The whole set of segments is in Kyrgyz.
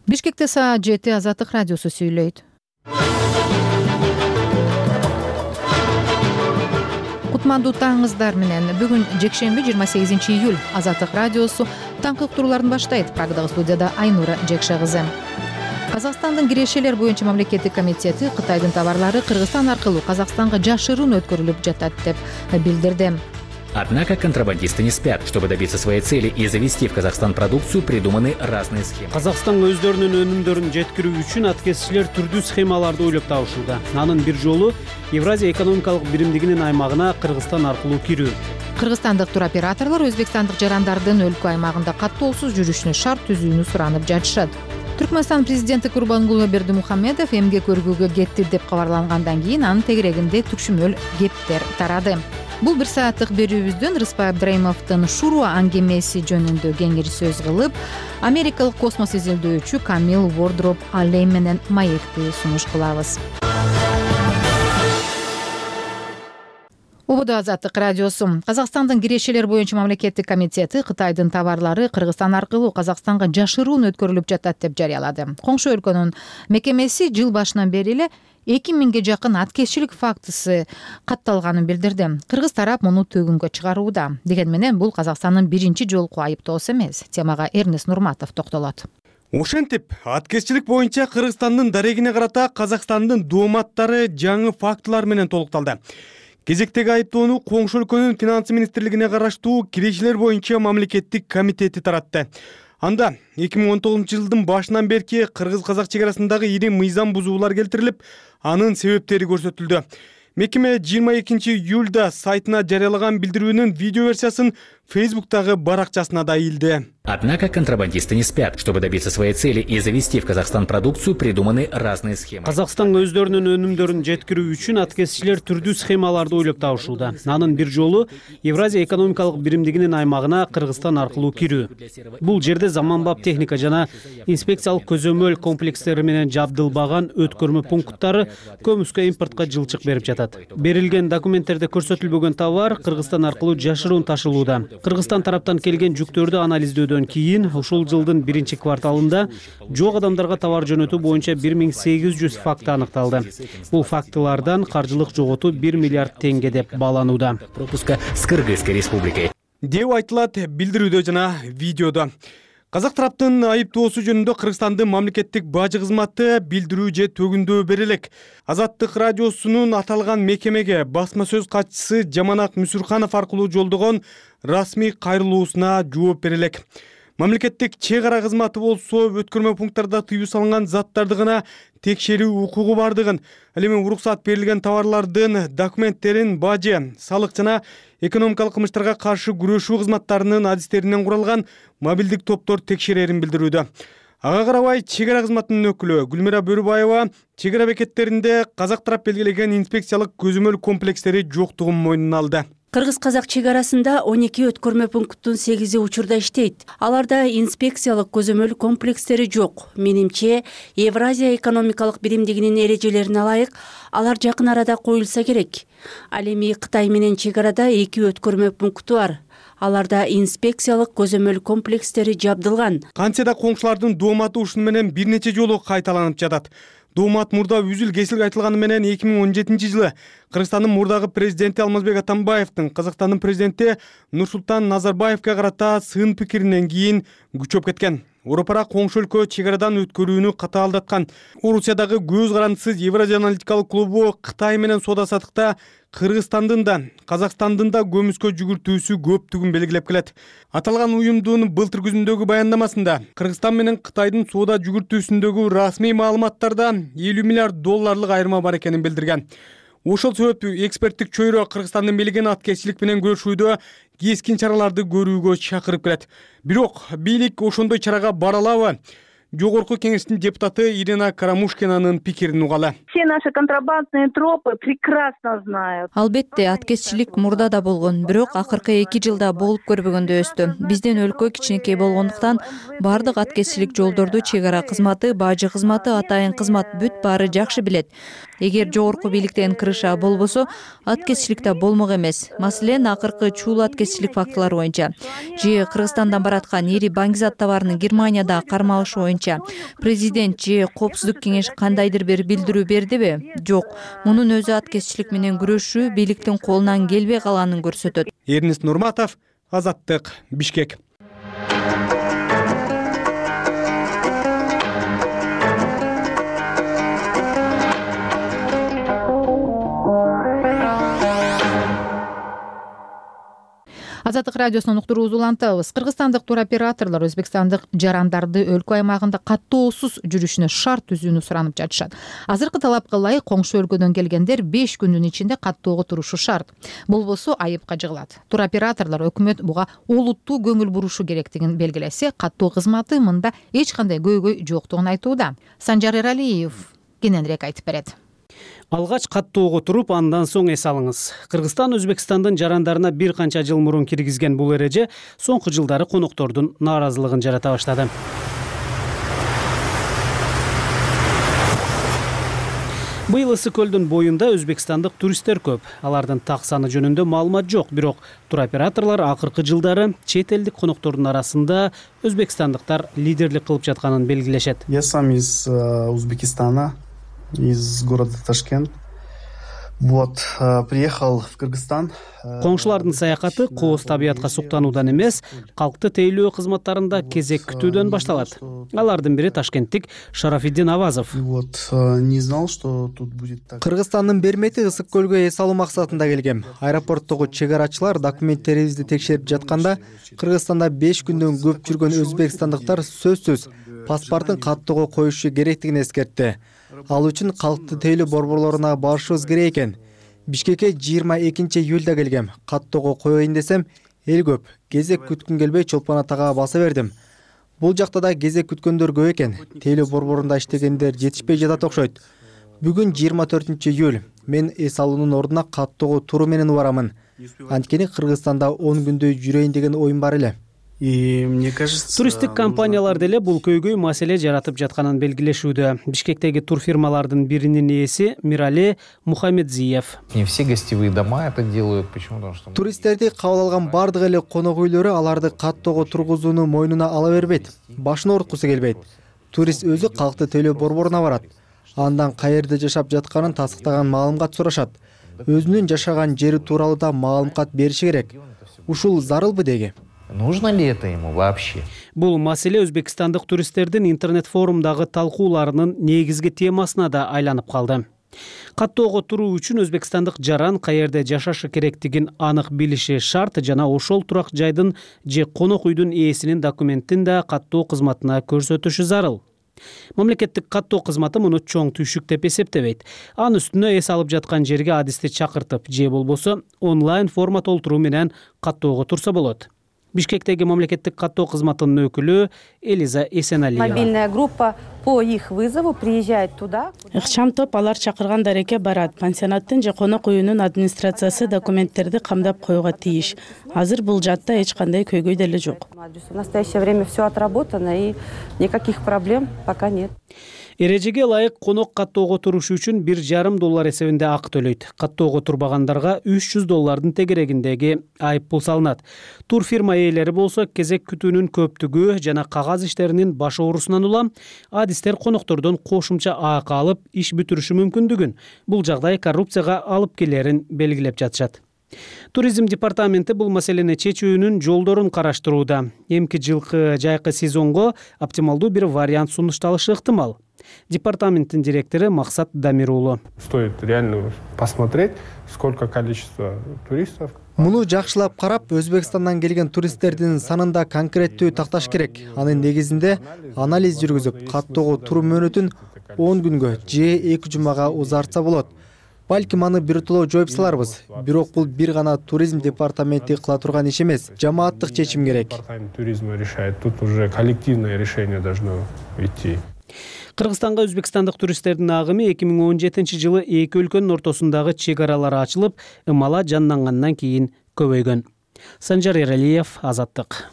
Бишкекте саат 7 Азаттык радиосу сүйлөйт. Кутмандуу таңыңыздар менен. Бүгүн жекшемби 28 июль. Азаттык радиосу таңкы уктурууларын баштайт. Прагдагы студияда Айнура Жекше кызы. Казакстандын кирешелер боюнча мамлекеттик комитети Кытайдын товарлары Кыргызстан аркылуу Казакстанга жашыруун өткөрүлүп жатат деп билдирди. Однако контрабандисты не спят. Чтобы добиться своей цели и завести в Казахстан продукцию, придуманы разные схемы. Казакстанга өздөрүнүн өнүмдөрүн жеткирүү үчүн аткезчилер түрдүү схемаларды ойлоп табышууда. Анын бир жолу Евразия экономикалык биримдигинин аймагына Кыргызстан аркылуу кирүү. Кыргызстандык туроператорлор өзбекстандык жарандардын өлкө аймагында каттоосуз жүрүшүнө шарт түзүүнү суранып жатышат. Түркмөнстан президенти Курбангулы Бердимухамедов эмгек өргүүгө кетти деп кабарлангандан кийин анын тегерегинде түкшүмөл кептер тарады. Бул бир сааттык берүүбүздөн Рыспай Абдрайымовдун Шуруа аңгемеси жөнүндө кеңири сөз кылып, америкалык космос изилдөөчү Камил Вордроп Аллей менен маекти сунуш кылабыз. Убуду Азаттык радиосу. Казакстандын кирешелер боюнча мамлекеттик комитети Кытайдын товарлары Кыргызстан аркылуу Казакстанга жашыруун өткөрүлүп жатат деп жарыялады. Коңшу өлкөнүн мекемеси жыл башынан бери эле 2000ге жакын аткезчилик фактысы катталганын билдирди. Кыргыз тарап муну төгүнгө чыгарууда. Деген менен бул Казакстандын биринчи жолку айыптоосу эмес. Темага Эрнест Нурматов токтолот. Ошентип, аткезчилик боюнча Кыргызстандын дарегине карата Казакстандын дооматтары жаңы фактылар менен толукталды. Кезектеги айыптоону коңшу өлкөнүн финансы министрлигине караштуу кирешелер боюнча мамлекеттик комитети таратты. Анда 2019 жылдын башынан берки кыргыз-казак чек арасындагы ири мыйзам бузуулар келтирилип, анын себептери көрсөтүлдү. Мекеме 22 июлда сайтына жарыялаган билдирүүнүн видео версиясын Фейсбуктагы баракчасына да ийилди. Однако контрабандисты не спят. Чтобы добиться своей цели и завести в Казахстан продукцию, придуманы разные схемы. Казакстанга өздөрүнүн өнүмдөрүн жеткирүү үчүн аткезчилер түрдүү схемаларды ойлоп табышууда. Анын бир жолу Евразия экономикалык биримдигинин аймагына Кыргызстан аркылуу кирүү. Бул жерде заманбап техника жана инспекциялык көзөмөл комплекстери менен жабдылбаган өткөрмө пункттары көмүскө импортко жылчык берип жатат. Берилген документтерде көрсөтүлбөгөн товар Кыргызстан аркылуу жашыруун ташылууда. Кыргызстан тараптан келген жүктөрдү анализдөөдөн кийин ушул жылдын биринчи кварталында жок адамдарга товар жөнөтүү боюнча 1800 факты аныкталды. Бул фактылардан каржылык жоготуу 1 миллиард теңге деп бааланууда. Пропуска с Кыргызской республикой. Деп айтылат билдирүүдө жана видеодо. Казак тараптын айыптоосу жөнүндө Кыргызстандын мамлекеттик бажы кызматы билдирүү же төгүндөө берелек. Азаттык радиосунун аталган мекемеге басма сөз катчысы Жаманак Мүсүрханов аркылуу жолдогон расмий кайрылуусуна жооп берелек. Мамлекеттик чек ара кызматы болсо өткөрмө пункттарда тыюу салынган заттарды гана текшерүү укугу бардыгын, ал эми уруксат берилген товарлардын документтерин бажы, салык жана экономикалык кылмыштарга каршы күрөшүү кызматтарынын адистеринен куралган мобилдик топтор текшерерин билдирүүдө. Ага карабай чек ара кызматынын өкүлү Гүлмира Бөрүбаева чек ара бекеттеринде казак тарап белгилеген инспекциялык көзөмөл комплекстери жоктугун мойнуна алды. Кыргыз-казак чек арасында 12 өткөрмө пункттун 8 учурда иштейт. Аларда инспекциялык көзөмөл комплекстери жок. Менимче, Евразия экономикалык биримдигинин эрежелерине ылайык алар жакын арада коюлса керек. Ал эми Кытай менен чек арада 2 өткөрмө пункту бар. Аларда инспекциялык көзөмөл комплекстери жабдылган. Кантсе да коңшулардын дооматы ушуну менен бир нече жолу кайталанып жатат. Доомат мурда үзүл кесил айтылганы менен 2017 жылы Кыргызстандын мурдагы президенти Алмазбек Атамбаевдин Казакстандын президенти Нурсултан Назарбаевге карата сын пикиринен кийин күчөп кеткен. Европара коңшу өлкө чек арадан өткөрүүнү катаалдаткан. Орусиядагы көз карандысыз Евразия аналитикалык клубу Кытай менен соода саттыкта Кыргызстандын да, Казакстандын да көмүскө жүгүртүүсү көптүгүн белгилеп келет. Аталган уюмдун былтыр күзүндөгү баяндамасында Кыргызстан менен Кытайдын соода жүгүртүүсүндөгү расмий маалыматтарда 50 миллиард долларлык айырма бар экенин билдирген. Ошол себептүү эксперттик чөйрө Кыргызстандын белген аткезчилик менен күрөшүүдө кескин чараларды көрүүгө чакырып келет. Бирок бийлик ошондой чарага бара алабы? Жогорку кеңештин депутаты Ирина Карамушкинанын пикирин угалы. Все наши контрабандные тропы прекрасно знают. Албетте, аткезчилик мурда да болгон, бирок акыркы 2 жылда болуп көрбөгөндө өстү. Биздин өлкө кичинекей болгондуктан бардык аткезчилик жолдорду чек ара кызматы, бажы кызматы, атайын кызмат бүт баары жакшы билет. Эгер жогорку бийликтен кырыша болбосо, аткезчилик да болмок эмес. Маселен, акыркы чуул аткезчилик фактылары боюнча же Кыргызстандан бараткан ири баңгизат товарынын Германияда кармалышы боюнча кайча? Президент же Коопсуздук кеңеши кандайдыр бир билдирүү бердиби? Жок. Мунун өзү аткезчилик менен күрөшүү бийликтин колунан келбей калганын көрсөтөт. Эрнест Нурматов, Азаттык, Бишкек. Азаттык радиосунун уктуруусун улантабыз. Кыргызстандык туроператорлор өзбекстандык жарандарды өлкө аймагында каттоосуз жүрүшүнө шарт түзүүнү суранып жатышат. Азыркы талапка ылайык коңшу өлкөдөн келгендер 5 күндүн ичинде каттоого турушу шарт. Болбосо айыпка жыгылат. Туроператорлор өкмөт буга олуттуу көңүл бурушу керектигин белгилесе, каттоо кызматы мында эч кандай көйгөй жоктугун айтууда. Санжар Эралиев кененирээк айтып берет. Алгач каттоого туруп, андан соң эс алыңыз. Кыргызстан Өзбекстандын жарандарына бир канча жыл мурун киргизген бул эреже соңку жылдары коноктордун нааразылыгын жарата баштады. Быйыл Ысык көлдүн боюнда өзбекстандык туристтер көп. Алардын так саны жөнүндө маалымат жок, бирок туроператорлор акыркы жылдары чет элдик коноктордун арасында өзбекстандыктар лидерлик кылып жатканын белгилешет. Я сам из Узбекистана, из города Ташкент. Вот, приехал в Кыргызстан. Коңшулардын саякаты кооз табиятка суктануудан эмес, калкты тейлөө кызматтарында кезек күтүүдөн башталат. Алардын бири ташкенттик Шарафиддин Авазов. Вот, не знал, что тут будет так. Кыргызстандын бермети Ысык көлгө эс алуу максатында келгем. Аэропорттогу чегарачылар документтерибизди текшерип жатканда, Кыргызстанда 5 күндөн көп жүргөн өзбекстандыктар сөзсүз паспортун каттоого коюшу керектигин эскертти. Ал үчүн калкты тейлөө борборлоруна барышыбыз керек экен. Бишкекке 22 июлда келгем. Каттоого коеюн десем, эл көп. Кезек күткүн келбей Чолпон Атага баса бердим. Бул жакта да кезек күткөндөр көп экен. Тейлөө борборунда иштегендер жетишпей жатат окшойт. Бүгүн 24 июль. Мен эс алуунун ордуна каттоого туруу менен барамын. Анткени Кыргызстанда 10 күндө жүрөйүн деген оюм бар эле. И мне кажется, туристтик компаниялар деле бул көйгөй маселе жаратып жатканын белгилешүүдө. Бишкектеги турфирмалардын биринин ээси Мирали Мухаммедзиев. Не все гостевые дома это делают. Почему? Потому что Туристтерди кабыл алган бардык эле конок үйлөрү аларды каттоого тургузууну мойнуна ала бербейт. Башын ооруткусу келбейт. Турист өзү калкты тейлөө борборуна барат. Андан каерде жашап жатканын тастыктаган маалымат сурашат. Өзүнүн жашаган жери тууралуу да маалымат бериши керек. Ушул зарылбы деги? нужно ли это ему вообще? Бул маселе өзбекстандык туристтердин интернет форумдагы талкууларынын негизги темасына да айланып калды. Каттоого туруу үчүн өзбекстандык жаран каерде жашашы керектигин анык билиши шарт жана ошол турак жайдын же конок үйдүн ээсинин документин да каттоо кызматына көрсөтүшү зарыл. Мамлекеттик каттоо кызматы муну чоң түйшүк деп эсептебейт. Анын үстүнө эс алып жаткан жерге адисти чакыртып же болбосо онлайн форма толтуруу менен каттоого турса болот. Бишкектеги мамлекеттик каттоо кызматынын өкүлү Элиза Эсеналиева. Мобильная группа по их вызову приезжает туда. Ыкчам топ алар чакырган дарекке барат. Пансионаттын же конок үйүнүн администрациясы документтерди камдап коюуга тийиш. Азыр бул жатта эч кандай көйгөй деле жок. В настоящее время все отработано и никаких проблем пока нет. Эрежеге ылайык конок каттоого турушу үчүн $1,5 эсебинде акы төлөйт. Каттоого турбагандарга $300 тегерегиндеги айып пул салынат. Турфирма ээлери болсо кезек күтүүнүн көптүгү жана кагаз иштеринин баш оорусунан улам адистер коноктордон кошумча акы алып иш бүтүрүшү мүмкүндүгүн, бул жагдай коррупцияга алып келерин белгилеп жатышат. Туризм департаменти бул маселени чечүүнүн жолдорун караштырууда. Эмки жылкы жайкы сезонго оптималдуу бир вариант сунушталышы ыктымал. Департаменттин директору Максат Дамирулу. Стоит реально посмотреть, сколько количество туристов. Муну жакшылап карап, Өзбекстандан келген туристтердин санында конкреттүү такташ керек. Анын негизинде анализ жүргүзүп, каттоого туруу мөөнөтүн 10 күнгө же 2 жумага узартса болот. Балким аны биртоло жоюп саларбыз. Бирок бул бир гана туризм департаменти кыла турган иш эмес, жамааттык чечим керек. Департамент туризма решает, тут уже коллективное решение должно идти. Кыргызстанга өзбекстандык туристтердин агымы 2017 жылы эки өлкөнүн ортосундагы чек аралары ачылып, ымала жандангандан кийин көбөйгөн. Санжар Эралиев, Азаттык.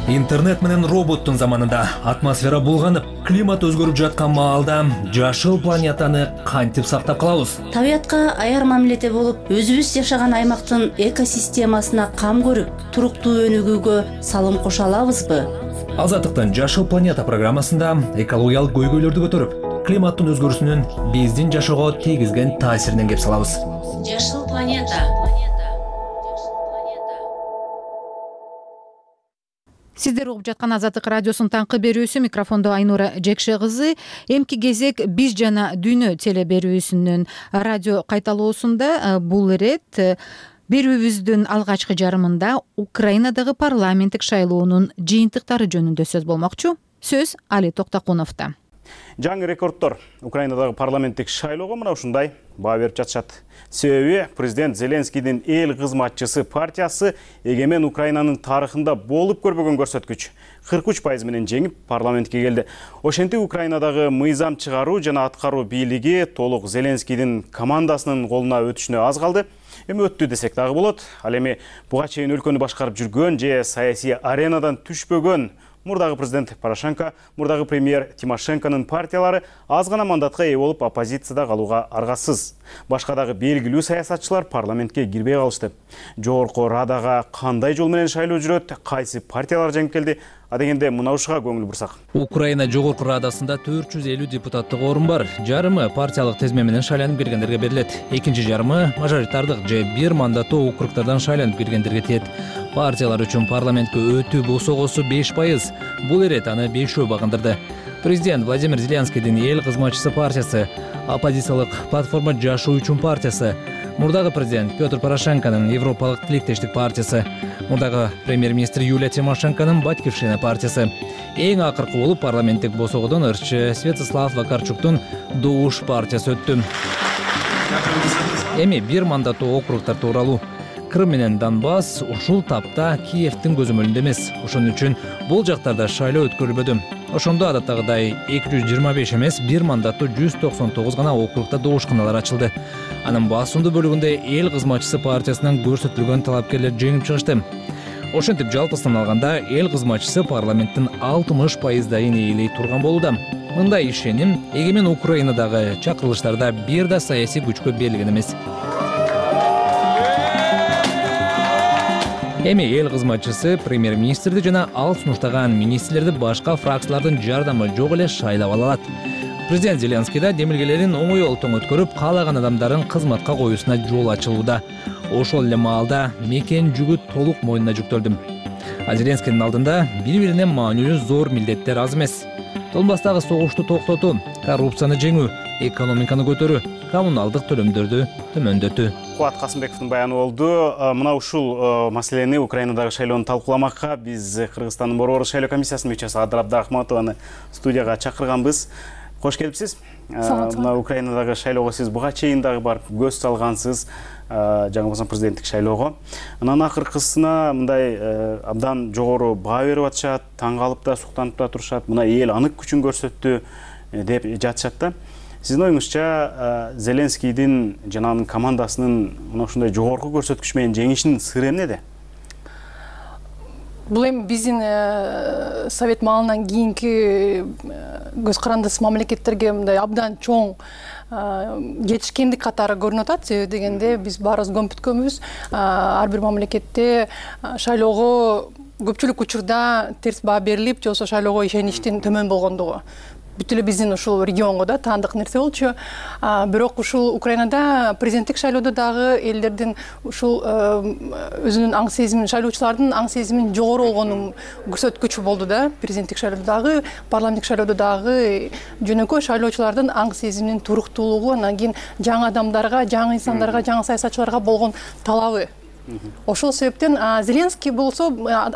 Интернет менен роботтун заманында атмосфера булганып, климат өзгөрүп жаткан маалда жашыл планетаны кантип сактап калабыз? Табиятка аяр мамиледе болуп, өзүбүз жашаган аймактын экосистемасына кам көрүп, туруктуу өнүгүүгө салым кошо алабызбы? Азаттыктын Жашыл планета программасында экологиялык көйгөйлөрдү көтөрүп, климаттын өзгөрүүсүнүн биздин жашоого тийгизген таасиринен кеп салабыз. Жашыл планета. Сиздер угуп жаткан Азаттык радиосунун таңкы берүүсү, микрофондо Айнура Жекше кызы. Эмки кезек Биз жана дүйнө теле берүүсүнүн радио кайталоосунда бул ирет берүүбүздүн алгачкы жарымында Украинадагы парламенттик шайлоонун жыйынтыктары жөнүндө сөз болмокчу. Сөз Али Токтокуновдо. Жаңы рекордтор Украинадагы парламенттик шайлоого мына ушундай баа берип жатышат. Себеби президент Зеленскийдин эл кызматчысы партиясы эгемен Украинанын тарыхында болуп көрбөгөн көрсөткүч 43% менен жеңип парламентке келди. Ошентип Украинадагы мыйзам чыгаруу жана аткаруу бийлиги толук Зеленскийдин командасынын колуна өтүшүнө аз калды. Эми өттү десек дагы болот. Ал эми буга чейин өлкөнү башкарып жүргөн же саясий аренадан түшпөгөн мурдагы президент Порошенко, мурдагы премьер Тимошенконун партиялары аз гана мандатка ээ болуп оппозицияда калууга аргасыз. Башка дагы белгилүү саясатчылар парламентке кирбей калышты. Жогорку Радага кандай жол менен шайлоо жүрөт, кайсы партиялар жеңип келди? Адегенде мына ушуга көңүл бурсак. Украина жогорку Радасында 450 депутаттык орун бар. Жарымы партиялык тизме менен шайланып киргендерге берилет. Экинчи жарымы мажоритардык же бир мандаттуу округдардан шайланып киргендерге тиет. Партиялар үчүн парламентке өтүү босогосу 5%. Бул ирет аны 5 багындырды. Президент Владимир Зеленскийдин эл кызматчысы партиясы, оппозициялык платформа Жашоо үчүн партиясы, мурдагы президент Петр Порошенконун Европалык тилектештик партиясы, мурдагы премьер-министр Юлия Тимошенконун Батькивщина партиясы. Эң акыркы болуп парламенттик босогодон ырчы Святослав Вакарчуктун Душ партиясы өттү. Эми бир мандаттуу округдар тууралуу. Крым менен Донбасс ушул тапта Киевдин көзөмөлүндө эмес. Ошон үчүн бул жактарда шайлоо өткөрүлбөдү. Ошондо адаттагыдай 225 эмес, бир мандаттуу 199 гана округда доошканалар ачылды. Анын басымдуу бөлүгүндө эл кызматчысы партиясынан көрсөтүлгөн талапкерлер жеңип чыгышты. Ошентип жалпысынан алганда эл кызматчысы парламенттин 60% ээлей турган болууда. Мындай ишеним эгемен Украинадагы чакырылыштарда бир да саясий күчкө берилген эмес. Эми эл кызматчысы премьер-министрди жана ал сунуштаган министрлерди башка фракциялардын жардамы жок эле шайлап ала алат. Президент Зеленский да демилгелерин оңой олтоң өткөрүп, каалаган адамдарын кызматка коюусуна жол ачылууда. Ошол эле маалда мекен жүгү толук мойнуна жүктөлдү. А Зеленскийдин алдында бири-бирине маанилүү зор милдеттер аз эмес. Донбасстагы согушту токтотуу, коррупцияны жеңүү, экономиканы көтөрүү, коммуналдык төлөмдөрдү төмөндөтүү. Кубат Касымбековдун баяны болду. Мына ушул маселени Украинадагы шайлоону талкууламакка биз Кыргызстандын борбордук шайлоо комиссиясынын мүчөсү Адыр Абдрахматованы студияга чакырганбыз. Кош келипсиз. Мына Украинадагы шайлоого сиз буга чейин дагы барып көз салгансыз, жаңы болсо президенттик шайлоого. Анан акыркысына мындай абдан жогору баа берип атышат, таң калып да, суктанып да турушат. Мына эл анык күчүн көрсөттү деп жатышат да. Сиздин оюңузча Зеленскийдин жана анын командасынын мына ушундай жогорку көрсөткүч менен жеңишинин сыры эмнеде? Бул эми биздин совет маалынан кийинки көз карандысыз мамлекеттерге мындай абдан чоң жетишкендик катары көрүнүп атат. Себеби дегенде биз баарыбыз көмүп ар бир мамлекетте шайлоого көпчүлүк учурда терс баа берилип, же болбосо шайлоого ишеничтин төмөн болгондугу. Бүт эле биздин ушул регионго да таандык нерсе болчу. Бирок ушул Украинада президенттик шайлоодо дагы элдердин ушул өзүнүн аң сезимин, шайлоочулардын аң сезимин жогору болгонун көрсөткүчү болду да. Президенттик шайлоодо дагы, парламенттик шайлоодо дагы жөнөкөй шайлоочулардын аң сезиминин туруктуулугу, анан кийин жаңы адамдарга, жаңы инсандарга, жаңы саясатчыларга болгон талабы. Ошол себептен Зеленский болсо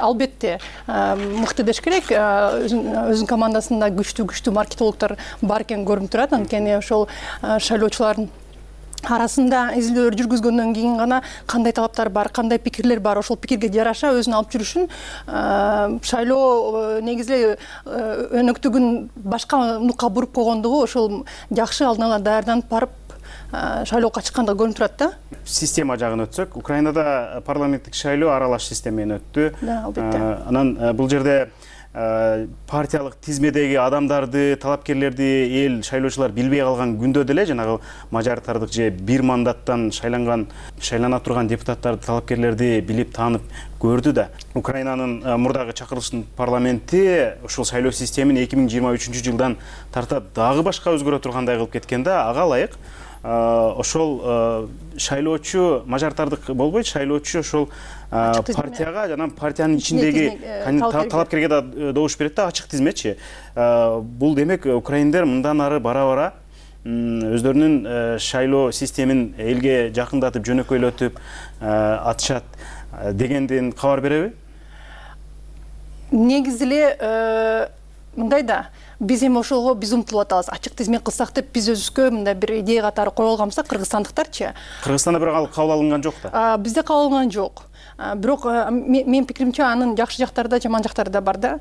албетте мыкты деш керек, өзүнүн командасында күчтүү маркетологдор бар экени көрүнүп турат. Анткени ошол шайлоочулардын арасында изилдөөлөр жүргүзгөндөн кийин гана кандай талаптар бар, кандай пикирлер бар, ошол пикирге жараша өзүн алып жүрүшүн шайлоо негизи эле өнөктүгүн башка нукка буруп койгондугу ошол жакшы алдын ала даярданып барып шайлоого чыкканда көрүнүп турат да. Система жагын өтсөк, Украинада парламенттик шайлоо аралаш система менен өттү. Да, албетте. Анан бул жерде партиялык тизмедеги адамдарды, талапкерлерди эл шайлоочулар билбей калган күндө деле жанагы мажоритардык же бир мандаттан шайлана турган депутаттарды, талапкерлерди билип таанып көрдү да. Украинанын мурдагы чакырылыштын парламенти ушул шайлоо системин 2023-жылдан тарта дагы башка өзгөрө тургандай кылып кеткен да. Ага ылайык ошол шайлоочу мажоритардык болбойт, шайлоочу ошол партияга жана партиянын ичиндеги талапкерге да добуш берет да, ачык тизмечи. Бул демек украиндер мындан ары бара-бара өздөрүнүн шайлоо системин элге жакындатып, жөнөкөйлөтүп атышат дегенден кабар береби? Негизи эле мындай да, биз эми ошого биз умтулуп атабыз. Ачык тизме кылсак деп биз өзүбүзгө мындай бир идея катары коюп алганбызда, кыргызстандыктарчы. Кыргызстанда бирок кабыл алынган жок да. Бизде кабыл алынган жок. Бирок менин пикиримче анын жакшы жактары да, жаман жактары да бар да.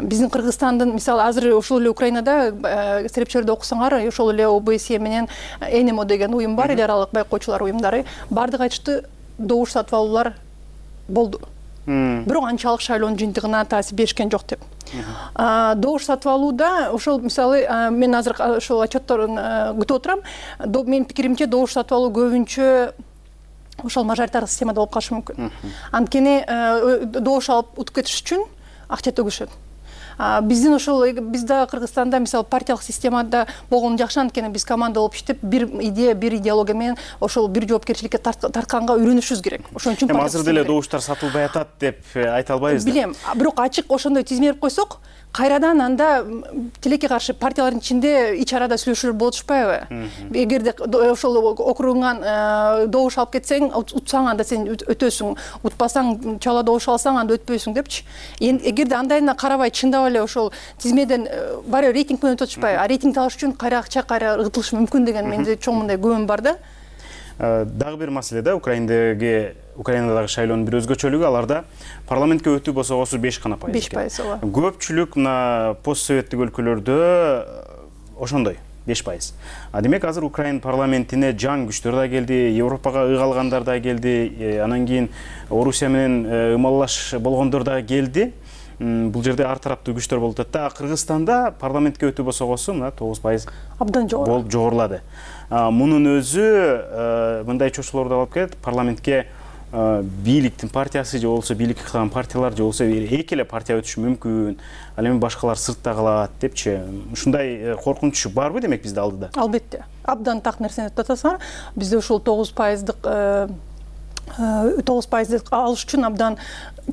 Биздин Кыргызстандын, мисалы, азыр ошол эле Украинада серепчилерди окусаңар, ошол эле ОБСЕ менен ЭНМО деген уюм бар, эл аралык байкоочулар уюмдары. Бардыгы айтышты, добуш сатып алуулар болду. Бирок анчалык шайлоонун жыйынтыгына таасир беришкен жок деп. Добуш сатып алууда ошол, мисалы, мен азыр ошол отчетторун күтүп отурам. Менин пикиримче добуш сатып алуу көбүнчө ошол мажоритардык системада болуп калышы мүмкүн. Анткени добуш алып утуп кетиш үчүн акча төгүшөт. Биздин ошол, биз да Кыргызстанда мисалы партиялык системада болгону жакшы, анткени биз команда болуп иштеп, бир идея, бир идеология менен ошол бир жоопкерчиликке тартканга үйрөнүшүбүз керек. Ошон үчүн азыр деле добуштар сатылбай атат деп айта албайбыз да. Билем, бирок ачык ошондой тизме берип койсок, кайрадан анда тилекке каршы партиялардын ичинде ич арада сүйлөшүүлөр болуп атышпайбы? Эгерде ошол округуңан добуш алып кетсең, утсаң анда сен өтөсүң, утпасаң, чала добуш алсаң анда өтпөйсүң депчи. Эгерде андайына карабай чындап эле ошол тизмеден баары рейтинг менен өтүп атышпайбы? А рейтинг алыш үчүн кайра акча, кайра ыргытылышы мүмкүн деген менде чоң мындай күмөн бар да. Дагы бир маселе да, Украинадагы шайлоонун бир өзгөчөлүгү, аларда парламентке өтүү босогосу 5%. 5%, ооба. Көпчүлүк мына постсоветтик өлкөлөрдө ошондой 5%. Демек азыр Украин парламентине жаң күчтөр да келди, Европага ыйгалгандар да келди, анан кийин Орусия менен ымалаш болгондор да келди. Бул жерде ар тараптуу күчтөр болуп атат да. Кыргызстанда парламентке өтүү босогосу мына 9% абдан болуп жогорулады. Мунун өзү мындай чочулорду алып келет. Парламентке бийликтин партиясы же болбосо бийликке кылган партиялар же болбосо эки эле партия өтүшү мүмкүн. Ал эми башкалар сыртта калат депчи. Ушундай коркунуч барбы демек бизде алдыда? Албетте. Абдан так нерсени айтып атасыңар. Бизде ушул 9% алыш үчүн абдан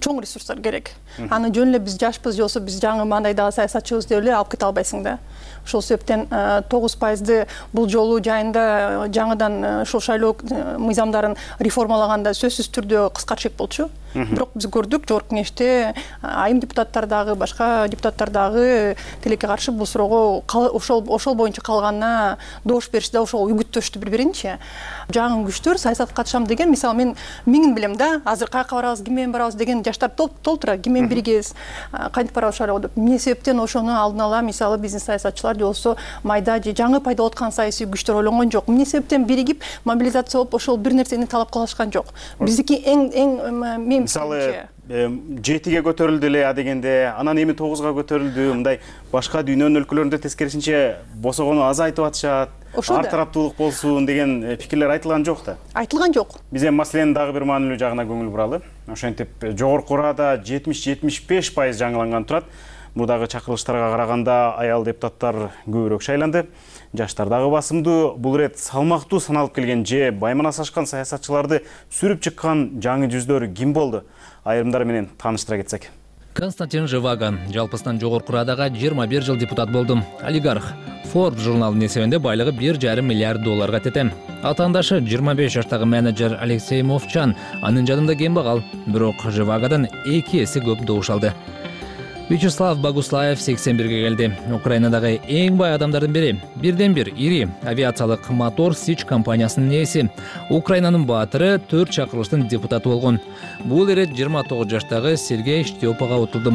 чоң ресурстар керек. Аны жөн эле биз жашпыз же болбосо биз жаңы мындай дагы саясатчыбыз деп эле алып кете албайсың да. Ошол себептен 9%ды бул жолу жайында жаңыдан ошол шайлоо мыйзамдарын реформалаганда сөзсүз түрдө кыскартышек болчу. Бирок биз көрдүк жогорку кеңеште айым депутаттар дагы, башка депутаттар дагы тилекке каршы бул суроого ошол боюнча калганына добуш беришти да, ошого үгүттөштү бири-биринчи. Жаңы күчтөр саясатка катышам деген, мисалы мен миңин билем да, азыр каяка барабыз, ким менен барабыз деген жаштар толтура, ким менен биргебиз, кантип барабыз шайлоого деп. Эмне себептен ошону алдын ала мисалы биздин саясатчылар же болбосо майда же жаңы пайда болуп аткан саясий күчтөр ойлонгон жок. Эмне себептен биригип мобилизация болуп ошол бир нерсени талап кылышкан жок. Биздики эң мисалы 7-ге көтөрүлдү эле дегенде, анан эми 9-га көтөрүлдү, мындай башка дүйнөнүн өлкөлөрүндө тескерисинче босогону азайтып атышат, ар тараптуулук болсун деген пикирлер айтылган жок да. Айтылган жок. Биз эми маселенин дагы бир маанилүү жагына көңүл буралы. Ошентип жогорку Рада 70-75% жаңыланган турат. Мурдагы чакырылыштарга караганда аял депутаттар көбүрөөк шайланды. Жаштар дагы басымдуу. Бул рет салмактуу саналып келген же байманас ашкан саясатчыларды сүрүп чыккан жаңы жүздөр ким болду? Айрымдары менен тааныштыра кетсек. Константин Живаган жалпысынан жогорку Радага 21 жыл депутат болду. Олигарх. Forbes журналынын эсебинде байлыгы $1,5 миллиард тетем. Атаандашы 25 жаштагы менеджер Алексей Мовчан анын жадында кембагал, бирок Живагадан 2 эсе көп добуш алды. Вячеслав Богуслаев 81-ге келди. Украинадагы эң бай адамдардын бири. Бирден-бир ири авиациялык мотор Сич компаниясынын ээси. Украинанын баатыры 4 чакырылыштын депутаты болгон. Бул ирет 29 жаштагы Сергей Штепага утулду.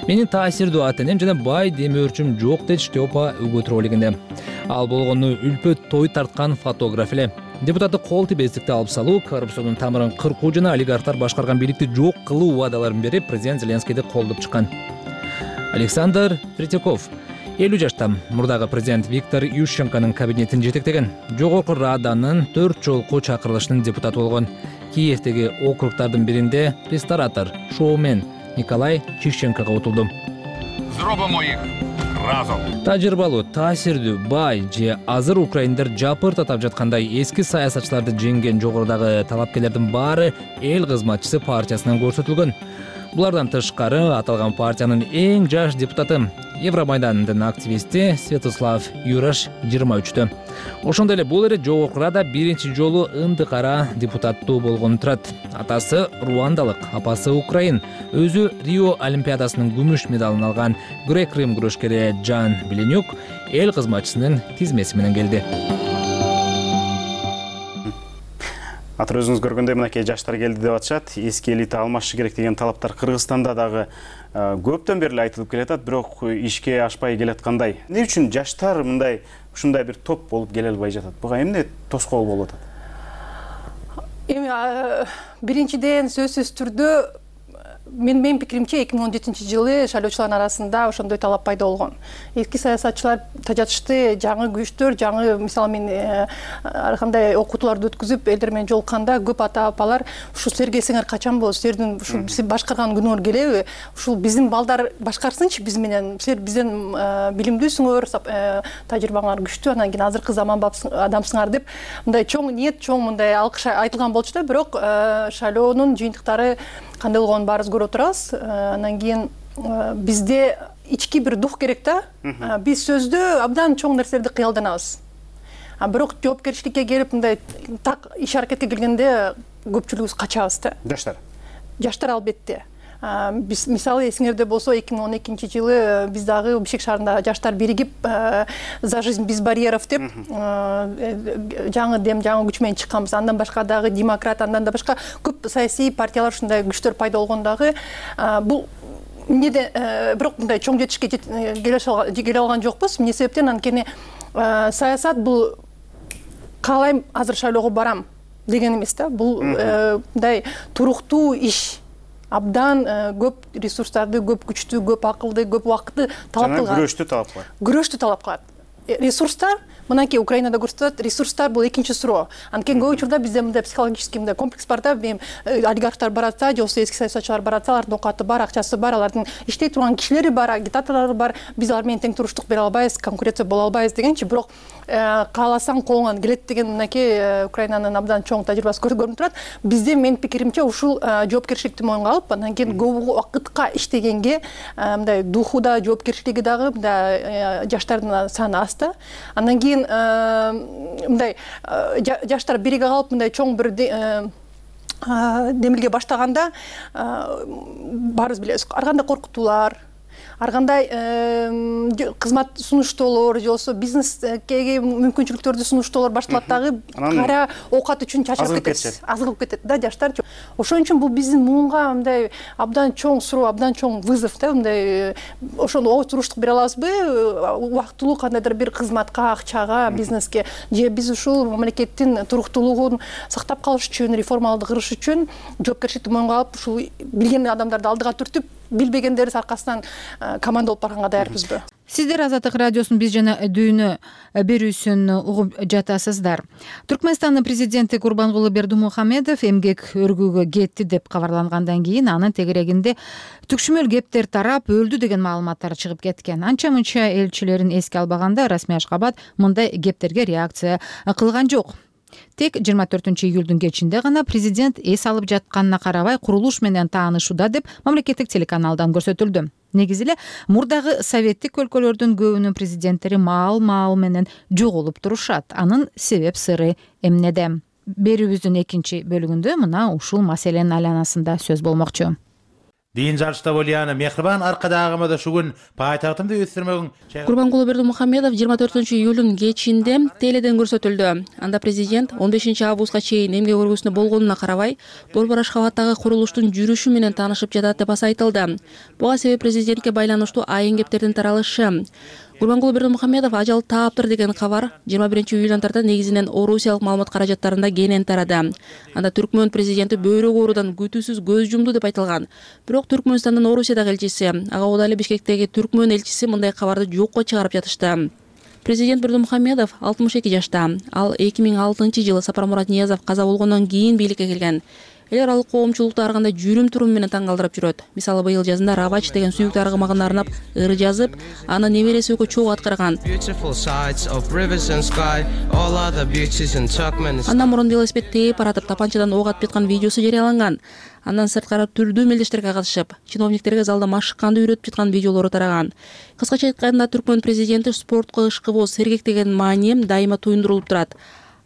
Менин таасирдүү ата-энем жана бай демөөрчүм жок деди Штепа өгөт ролигинде. Ал болгону үлпөт той тарткан фотограф эле. Депутаты кол тийбестикти алып салуу, коррупциянын тамырын кыркуу жана олигархтар башкарган бийликти жок кылуу убадаларын берип, президент Зеленскийди колдоп чыккан. Александр Третьяков 50 жашта. Мурдагы президент Виктор Ющенконун кабинетин жетектеген. Жогорку Раданын 4 жолку чакырылышынын депутаты болгон. Киевдеги округдардын биринде ресторатор, шоумен Николай Чищенкого утулду. Зробимо их разом. Тажрыйбалуу, таасирдүү, бай же азыр украиндер жапыр татап жаткандай эски саясатчыларды жеңген жогорудагы талапкерлердин баары эл кызматчысы партиясынан көрсөтүлгөн. Булардан тышкары аталган партиянын эң жаш депутаты, Евромайдандын активисти Святослав Юраш 23-тө. Ошондой эле бул эре Жогорку Рада биринчи жолу ындыкара депутаттуу болгону турат. Атасы руандалык, апасы украин. Өзү Рио Олимпиадасынын күмүш медалын алган грек-рим күрөшкери Жан Беленюк эл кызматчысынын тизмеси менен келди. Атыр өзүңүз көргөндөй мынакей жаштар келди деп атышат. Эски элита алмашы керек деген талаптар Кыргызстанда дагы көптөн бери айтылып келатат, бирок ишке ашпай келаткандай. Эмне үчүн жаштар мындай ушундай бир топ болуп келе албай жатат? Буга эмне тоскоол болуп атат? Эми биринчиден сөзсүз түрдө менин пикиримче 2017-жылы шайлоочулардын арасында ошондой талап пайда болгон. Эски саясатчылар тажатышты, жаңы күчтөр, жаңы мисалы мен ар кандай окутууларды өткүзүп элдер менен жолукканда көп ата апалар ушул силерге эсиңер качан болот, силердин ушул сиз башкарган күнүңөр келеби? Ушул биздин балдар башкарсынчы биз менен, силер бизден билимдүүсүңөр, тажрыйбаңар күчтүү, анан кийин азыркы заманбап адамсыңар деп мындай чоң ниет, чоң мындай алкыш айтылган болчу да, бирок шайлоонун жыйынтыктары кандай болгонун баарыбыз көрүп отурабыз. Анан кийин бизде ички бир дух керек да. Биз сөздө абдан чоң нерселерди кыялданабыз. Бирок жоопкерчиликке келип мындай так иш аракетке келгенде көпчүлүгүбүз качабыз да. Жаштар албетте. Биз мисалы эсиңерде болсо 2012-жылы биз дагы Бишкек шаарында жаштар биригип за жизнь без барьеров деп жаңы дем, жаңы күч менен чыкканбыз. Андан башка дагы демократ, андан да башка көп саясий партиялар ушундай күчтөр пайда болгондагы бул эмнеде бирок мындай чоң жетишке келе алган жокпуз. Эмне себептен? Анткени саясат бул каалайм азыр шайлоого барам деген эмес да. Бул мындай туруктуу иш. Абдан көп ресурстарды, көп күчтү, көп акылды, көп убакытты талап кылган. Күрөштү талап кылат. Ресурстар, мынакей Украинада көрсөтөт, ресурстар бул экинчи суроо. Анткени көп учурда бизде мындай психологический мындай комплекс бар да, олигархтар баратса, же болбосо эски саясатчылар баратса, алардын оокаты бар, акчасы бар, алардын иштей турган кишилери бар, агитаторлору бар, биз алар менен тең туруштук бере албайбыз, конкуренция боло албайбыз дегенчи, бирок кааласаң колуңан келет деген мынакей Украинанын абдан чоң тажрыйбасы көрүнүп турат. Бизде менин пикиримче ушул жоопкерчиликти мойнуна алып, андан кийин көп убакытка иштегенге мындай духу да, жоопкерчилиги дагы мындай жаштардын саны аз да. Андан кийин мындай жаштар бириге калып мындай чоң бир демилге баштаганда баарыбыз билебиз. Ар кандай коркутуулар, ар кандай кызмат сунуштоолор, же болбосо бизнеске мүмкүнчүлүктөрдү сунуштоолор башталат дагы, кара оокат үчүн чачырып кетет, азгылып кетет да жаштар. Ошон үчүн бул биздин муунга мындай абдан чоң суроо, абдан чоң вызов да, мындай ошону туруштук бере алабызбы, убактылуу кандайдыр бир кызматка, акчага, бизнеске, же биз ушул мамлекеттин туруктуулугун сактап калыш үчүн, реформаларды кырыш үчүн жоопкерчиликти мойнуна алып, ушул билген адамдарды алдыга түртүп, билбегендерибиз аркасынан команда болуп барганга даярбызбы? Сиздер Азаттык радиосунун биз жана дүйнө берүүсүн угуп жатасыздар. Түркмөнстандын президенти Курбангулы Бердимухамедов эмгек өргүүгө кетти деп кабарлангандан кийин анын тегерегинде түкшүмөл кептер тарап өлдү деген маалыматтар чыгып кеткен. Анча-мынча элчилерин эске албаганда Расмий Ашкабад мындай кептерге реакция кылган жок. Тек 24-июлдун кечинде гана президент эс алып жатканына карабай курулуш менен таанышууда деп мамлекеттик телеканалдан көрсөтүлдү. Негизи эле мурдагы советтик өлкөлөрдүн көбүнүн президенттери маал менен жоголуп турушат. Анын себеп сыры эмнеде? Берүүбүздүн экинчи бөлүгүндө мына ушул маселенин айланасында сөз болмокчу. Дин жарышта болияны мехрибан аркадагымда шугун пайтактымды өстүрмөгүн. Курбангулы Бердимухамедов 24-июлдун кечинде теледен көрсөтүлдү. Анда президент 15-августка чейин эмгек өргүүсүндө болгонуна карабай, Борбор Ашхабадтагы курулуштун жүрүшү менен таанышып жатат деп айтылды. Буга себеп президентке байланыштуу айын кептердин таралышы. Курбангулы Бердимухамедов ажал тааптыр деген кабар 21-июлдан тарта негизинен орусиялык маалымат каражаттарында кенен тарады. Анда Түркмөн президенти бөйрөк оорудан күтүүсүз көз жумду деп айтылган. Бирок Түркмөнстандын Орусиядагы элчиси, ага убада эле Бишкектеги Түркмөн элчиси мындай кабарды жокко чыгарып жатышты. Президент Бердимухамедов 62 жашта. Ал 2006-жылы Сапармурат Ниязов каза болгондон кийин бийликке келген. Эл аралык коомчулукту ар кандай жүрүм-туруму менен таң калтырып жүрөт. Мисалы, быйыл жазында Равач деген сүйүктүү аргымагына арнап ыр жазып, аны небереси Өкө чогуу аткарган. Андан мурун велосипед тээп баратып, тапанчадан ок атып жаткан видеосу жарыяланган. Андан сырткары түрдүү мелдештерге катышып, чиновниктерге залда машыкканды үйрөтүп жаткан видеолору тараган. Кыскача айтканда, Түркмөн президенти спортко ышкыбоо, сергек деген маани дайыма туюндурулуп турат.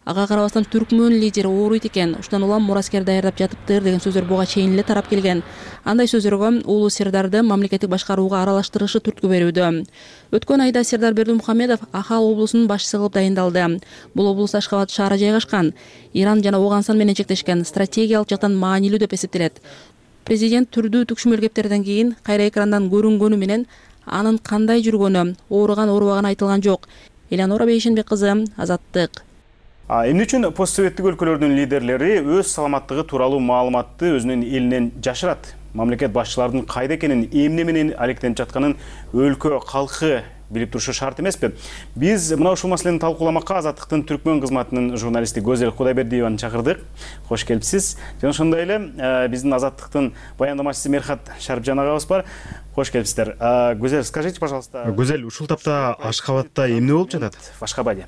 Ага карабастан Түркмөн лидери ооруйт экен, ушундан улам мураскер даярдап жатыптыр деген сөздөр буга чейин эле тарап келген. Андай сөздөргө уулу Сердарды мамлекеттик башкарууга аралаштырышы түрткү берүүдө. Өткөн айда Сердар Бердимухамедов Ахал облусунун башчысы кылып дайындалды. Бул облус Ашкабад шаары жайгашкан. Иран жана Ооганстан менен чектешкен, стратегиялык жактан маанилүү деп эсептелет. Президент түрдүү түкшүмөл кептерден кийин кайра экрандан көрүнгөнү менен анын кандай жүргөнү, ооруган оорубаганы айтылган жок. Элеонора Бейшенбек кызы, Азаттык. Эмне үчүн постсоветтик өлкөлөрдүн лидерлери өз саламаттыгы тууралуу маалыматты өзүнүн элинен жашырат? Мамлекет башчыларынын кайда экенин, эмне менен алектенип жатканын өлкө калкы билип турушу шарт эмеспи? Биз мына ушул маселени талкууламакка Азаттыктын Түркмөн кызматынын журналисти Гөзел Кудайбердиеваны чакырдык. Кош келипсиз. Жана ошондой эле биздин Азаттыктын баяндамачысы Мерхат Шарипжан агабыз бар. Кош келипсиздер. Гөзел, скажите, пожалуйста. Гөзел, ушул тапта Ашкабадта эмне болуп жатат? В Ашкабаде.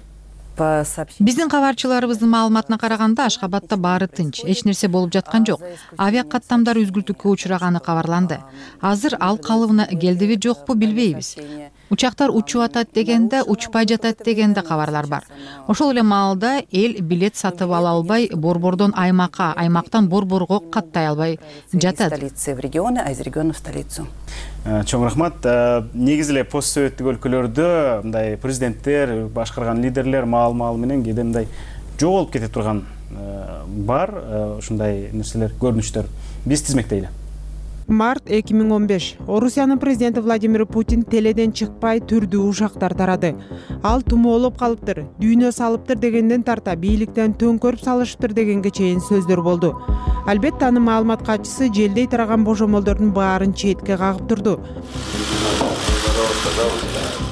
Биздин кабарчыларыбыздын маалыматына караганда, Ашкабадта баары тынч, эч нерсе болуп жаткан жок. Авиа каттамдар үзгүлтүккө учураганы кабарланды. Азыр ал калыбына келдиби жокпу билбейбиз. Учактар учуп атат дегенде, учпай жатат дегенде кабарлар бар. Ошол эле маалда эл билет сатып ала албай, борбордон аймакка, аймактан борборго каттай албай жатат. Чоң рахмат. Негизи эле постсоветтик өлкөлөрдө мындай президенттер, башкарган лидерлер маал менен кээде мындай жоголуп кете турган бар, ушундай нерселер, көрүнүштөр. Биз тизмектейли. Март 2015. Орусиянын президенти Владимир Путин теледен чыкпай түрдүү ушактар тарады. Ал тумоолоп калыптыр, дүйнө салыптыр дегенден тарта бийликтен төңкөрүп салышыптыр дегенге чейин сөздөр болду. Албетте анын маалымат катчысы желдей тараган божомолдордун баарын четке кагып турду.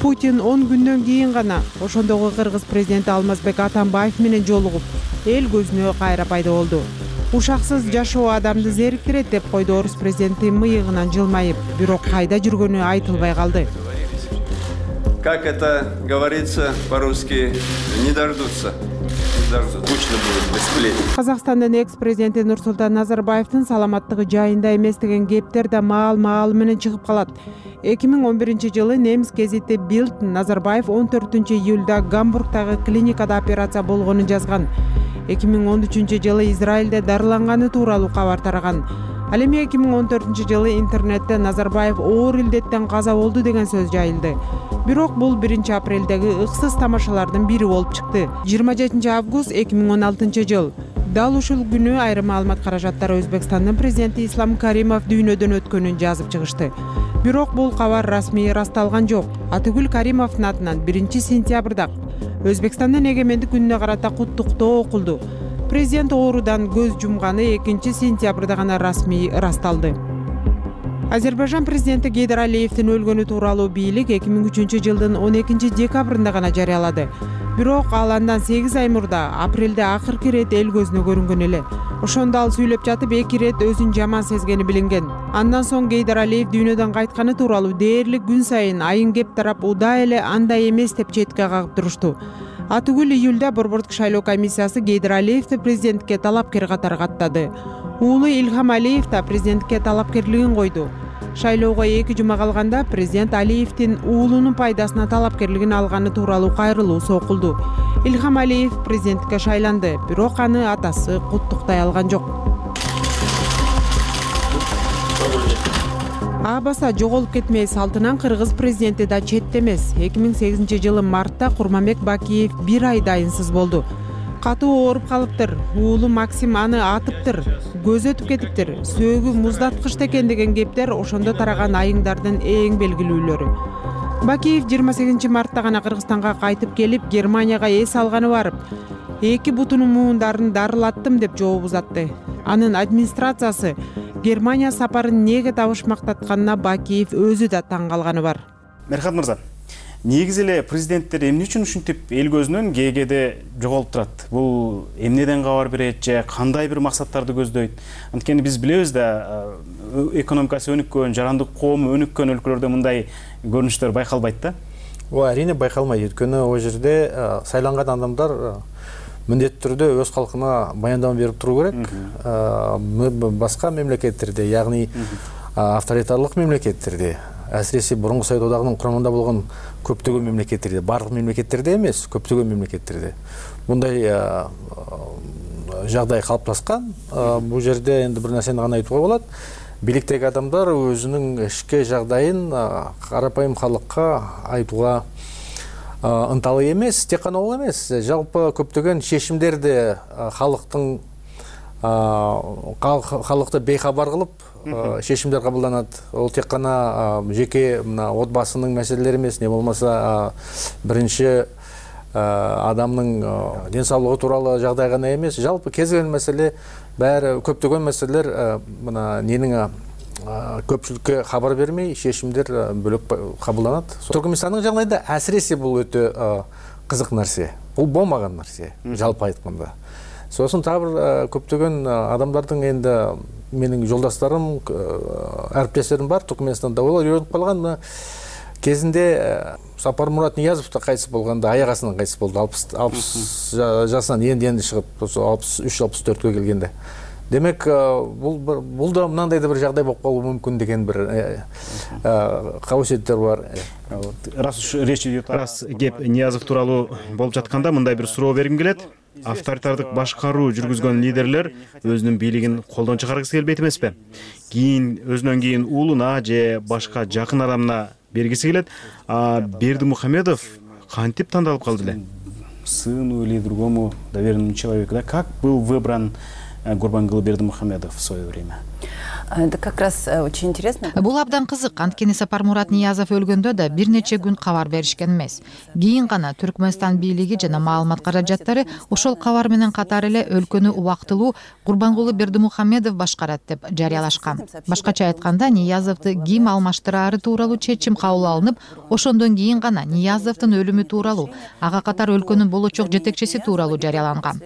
Путин 10 күндөн кийин гана ошондогу кыргыз президенти Алмазбек Атамбаев менен жолугуп, эл көзүнө кайра пайда болду. Ушаксыз жашоо адамды зериктирет деп койду орус президенти мыйыгынан жылмайып, бирок кайда жүргөнү айтылбай калды. Как это говорится по-русски, не дождутся. Скучно будет без сплетен. Казакстандын экс-президенти Нурсултан Назарбаевдин саламаттыгы жайында эмес деген кептер да маал менен чыгып калат. 2011-жылы немис гезити Bild Назарбаев 14-июлда Гамбургдагы клиникада операция болгонун жазган. 2013-жылы Израилде дарыланганы тууралуу кабар тараган. Ал эми 2014-жылы интернетте Назарбаев оор илдеттен каза болду деген сөз жайылды. Бирок бул 1-апрелдеги ыксыз тамашалардын бири болуп чыкты. 27-август 2016-жыл. Дал ушул күнү айрым маалымат каражаттары Өзбекстандын президенти Ислам Каримов дүйнөдөн өткөнүн жазып чыгышты. Бирок бул кабар расмий ырасталган жок. Атыгүл Каримовдун атынан 1-сентябрда Өзбекстандын эгемендик күнүнө карата куттуктоо окулду. Президент оорудан көз жумганы 2-сентябрда гана расмий ырасталды. Азербайжан президенти Гейдар Алиевдин өлгөнү тууралуу бийлик 2003-жылдын 12-декабрында гана жарыялады. Бирок ал андан 8 ай мурда апрелде акыркы ирет эл көзүнө көрүнгөн эле. Ошондо ал сүйлөп жатып 2 ирет өзүн жаман сезгени билинген. Андан соң Гейдар Алиев дүйнөдөн кайтканы тууралуу дээрлик күн сайын айын кеп тарап уда эле андай эмес деп четке кагып турушту. Атыгүл июлда борбордук шайлоо комиссиясы Гейдар Алиевди президентке талапкер катары каттады. Уулу Илхам Алиев да президентке талапкерлигин койду. Шайлоого 2 жума калганда президент Алиевдин уулунун пайдасына талапкерлигин алганы тууралуу кайрылуу сокулду. Илхам Алиев президентке шайланды, бирок аны атасы куттуктай алган жок. Абаса жоголуп кетмей салтынан кыргыз президенти да четте эмес. 2008-жылы мартта Курманбек Бакиев 1 ай дайынсыз болду. Катуу ооруп калыптыр. Уулу Максим аны атыптыр. Көз өтүп кетиптир. Сөөгү муздаткычта экен деген кептер ошондо тараган айыңдардын эң белгилүүлөрү. Бакиев 28 мартта гана Кыргызстанга кайтып келип, Германияга эс алганы барып, 2 бутунун муундарын дарылаттым деп жооп узатты. Анын администрациясы Германия сапарын неге табышмактатканына Бакиев өзү да таң калганы бар. Мерхат мырза, негизи эле президенттер эмне үчүн ушинтип эл көзүнөн КГде жоголуп турат? Бул эмнеден кабар берет же кандай бир максаттарды көздөйт? Анткени биз билебиз да, экономикасы өнүккөн, жарандык коому өнүккөн өлкөлөрдө мындай көрүнүштөр байкалбайт да? Ооба, әрине байкалмайт. Өйткөнү ал жерде сайланган адамдар міндетті түрде өз халқына баяндама беріп тұру керек. Басқа мемлекеттерде, яғни авторитарлық мемлекеттерде, әсіресе бұрынғы Совет одағының құрамында болған көптеген мемлекеттерде, барлық мемлекеттерде емес, көптеген мемлекеттерде бұндай жағдай қалыптасқан. Бұл жерде енді бір нәрсені ғана айтуға болады. Биліктегі адамдар өзінің ішкі жағдайын қарапайым халыққа айтуға ынталы емес, тек қана ол емес, жалпы көптеген шешімдерді халықты бейхабар қылып шешімдер қабылданады. Ол тек қана жеке отбасының мәселелері емес, не болмаса бірінші адамның денсаулығы туралы жағдай ғана емес, жалпы кез келген мәселе, бәрі көптеген мәселелер ненің көпшілікке хабар бермей, шешімдер бөлек қабылданады. Түркменстанның жағдайында әсіресе бұл өте қызық нәрсе. Бұл болмаған нәрсе, жалпы айтқанда. Сосын тағы көптеген адамдардың енді менің жолдастарым, әріптестерім бар Түркменстанда, олар үйреніп қалған. Кезінде Сапармұрат Ниязов та қайтыс болғанда, аяқ астынан қайтыс болды, 60 жасынан енді шығып, 63-64-ге келгенде. Демек, бұл да мынандай да бір жағдай болып қалуы мүмкін деген бір қауесеттер бар. Раз кеп Ниязов тууралуу болуп жатканда мындай бир суроо бергим келет. Авторитардык башкаруу жүргүзгөн лидерлер өзүнүн бийлигин колдон чыгаргысы келбейт эмеспи? Өзүнөн кийин уулуна же башка жакын адамына бергиси келет. Бердимухамедов кантип тандалып калды эле? Сыну или другому доверенному человеку, да? Как был выбран Гурбангулы Бердимухамедов в свое время? Это как раз очень интересно. Бул абдан кызык, анткени Сапармурат Ниязов өлгөндө да бир нече күн кабар беришкен эмес. Кийин гана Түркмөнстан бийлиги жана маалымат каражаттары ошол кабар менен катар эле өлкөнү убактылуу Гурбангулы Бердимухамедов башкарат деп жарыялашкан. Башкача айтканда, Ниязовду ким алмаштырары тууралуу чечим кабыл алынып, ошондон кийин гана Ниязовдун өлүмү тууралуу, ага катар өлкөнүн болочок жетекчиси тууралуу жарыяланган.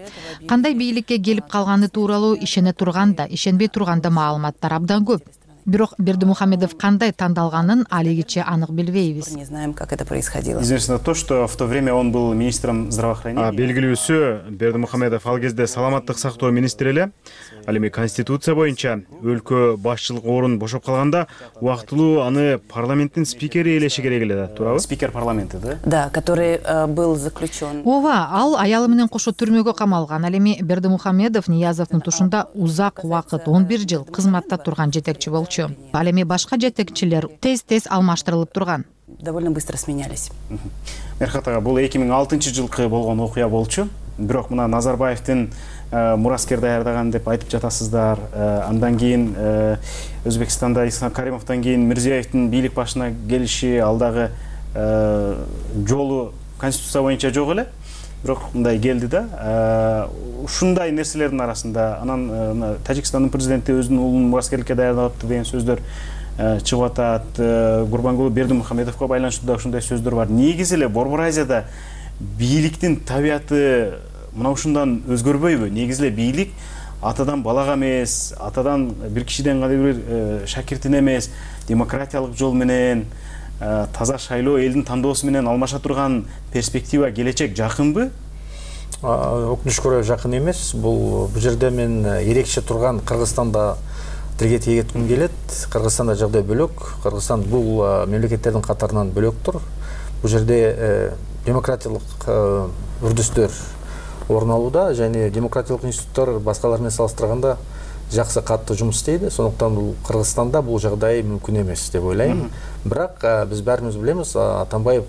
Кандай бийликке келип калганы тууралуу ишене турганда, ишенбей турганда маалыматтар абдан көп. Бирок Бердимухамедов кандай тандалганын алигиче анык билбейбиз. Не знаем, как это происходило. Известно то, что в то время он был министром здравоохранения. Белгилүүсү, Бердимухамедов ал кезде саламаттык сактоо министри эле. Ал эми конституция боюнча өлкө башчылык орун бошоп калганда убактылуу аны парламенттин спикери элеши керек эле да, туурабы? Спикер парламента, да? Да, который был заключен. Ооба, ал аялы менен кошо түрмөгө камалган. Ал эми Бердимухамедов Ниязовдун тушунда узак убакыт, 11 жыл кызматта турган жетекчи болчу. Ал эми башка жетекчилер тез алмаштырылып турган. Довольно быстро сменялись. Мерхат ага, бул 2006-жылкы болгон окуя болчу. Бирок мына Назарбаевдин мураскер даярдаган деп айтып жатасыздар. Андан кийин Өзбекстанда Ислам Каримовдон кийин Мирзиевдин бийлик башына келиши, алдагы жолу конституция боюнча жок эле. Бирок мындай келди да. Ушундай нерселердин арасында анан Тажикстандын президенти өзүнүн уулун мураскерликке даярдапты деген сөздөр чыгып атат. Гурбангулы Бердимухамедовго байланыштуу да ушундай сөздөр бар. Негизи эле Борбор Азияда бийликтин табияты мына ушундан өзгөрбөйбү? Негизи эле бийлик атадан балага эмес, атадан бир кишиден кандай бир шакиртине эмес, демократиялык жол менен, таза шайлоо, элдин тандоосу менен алмаша турган перспектива, келечек жакынбы? Өкүнүшкө жакын эмес. Бул жерде мен эрекче турган Кыргызстанда тилге тиек этким келет. Кыргызстанда жагдай бөлөк. Кыргызстан бул мемлекеттердин катарынан бөлөктүр. Бул жерде демократиялык үрдүстөр орун алууда, және демократиялык институттар башкалар менен салыштырганда жакшы катты жумуш істейди. Сондуктан бул Кыргызстанда бул жагдай мүмкүн эмес деп ойлойм. Бирок биз баарыбыз билебиз, Атамбаев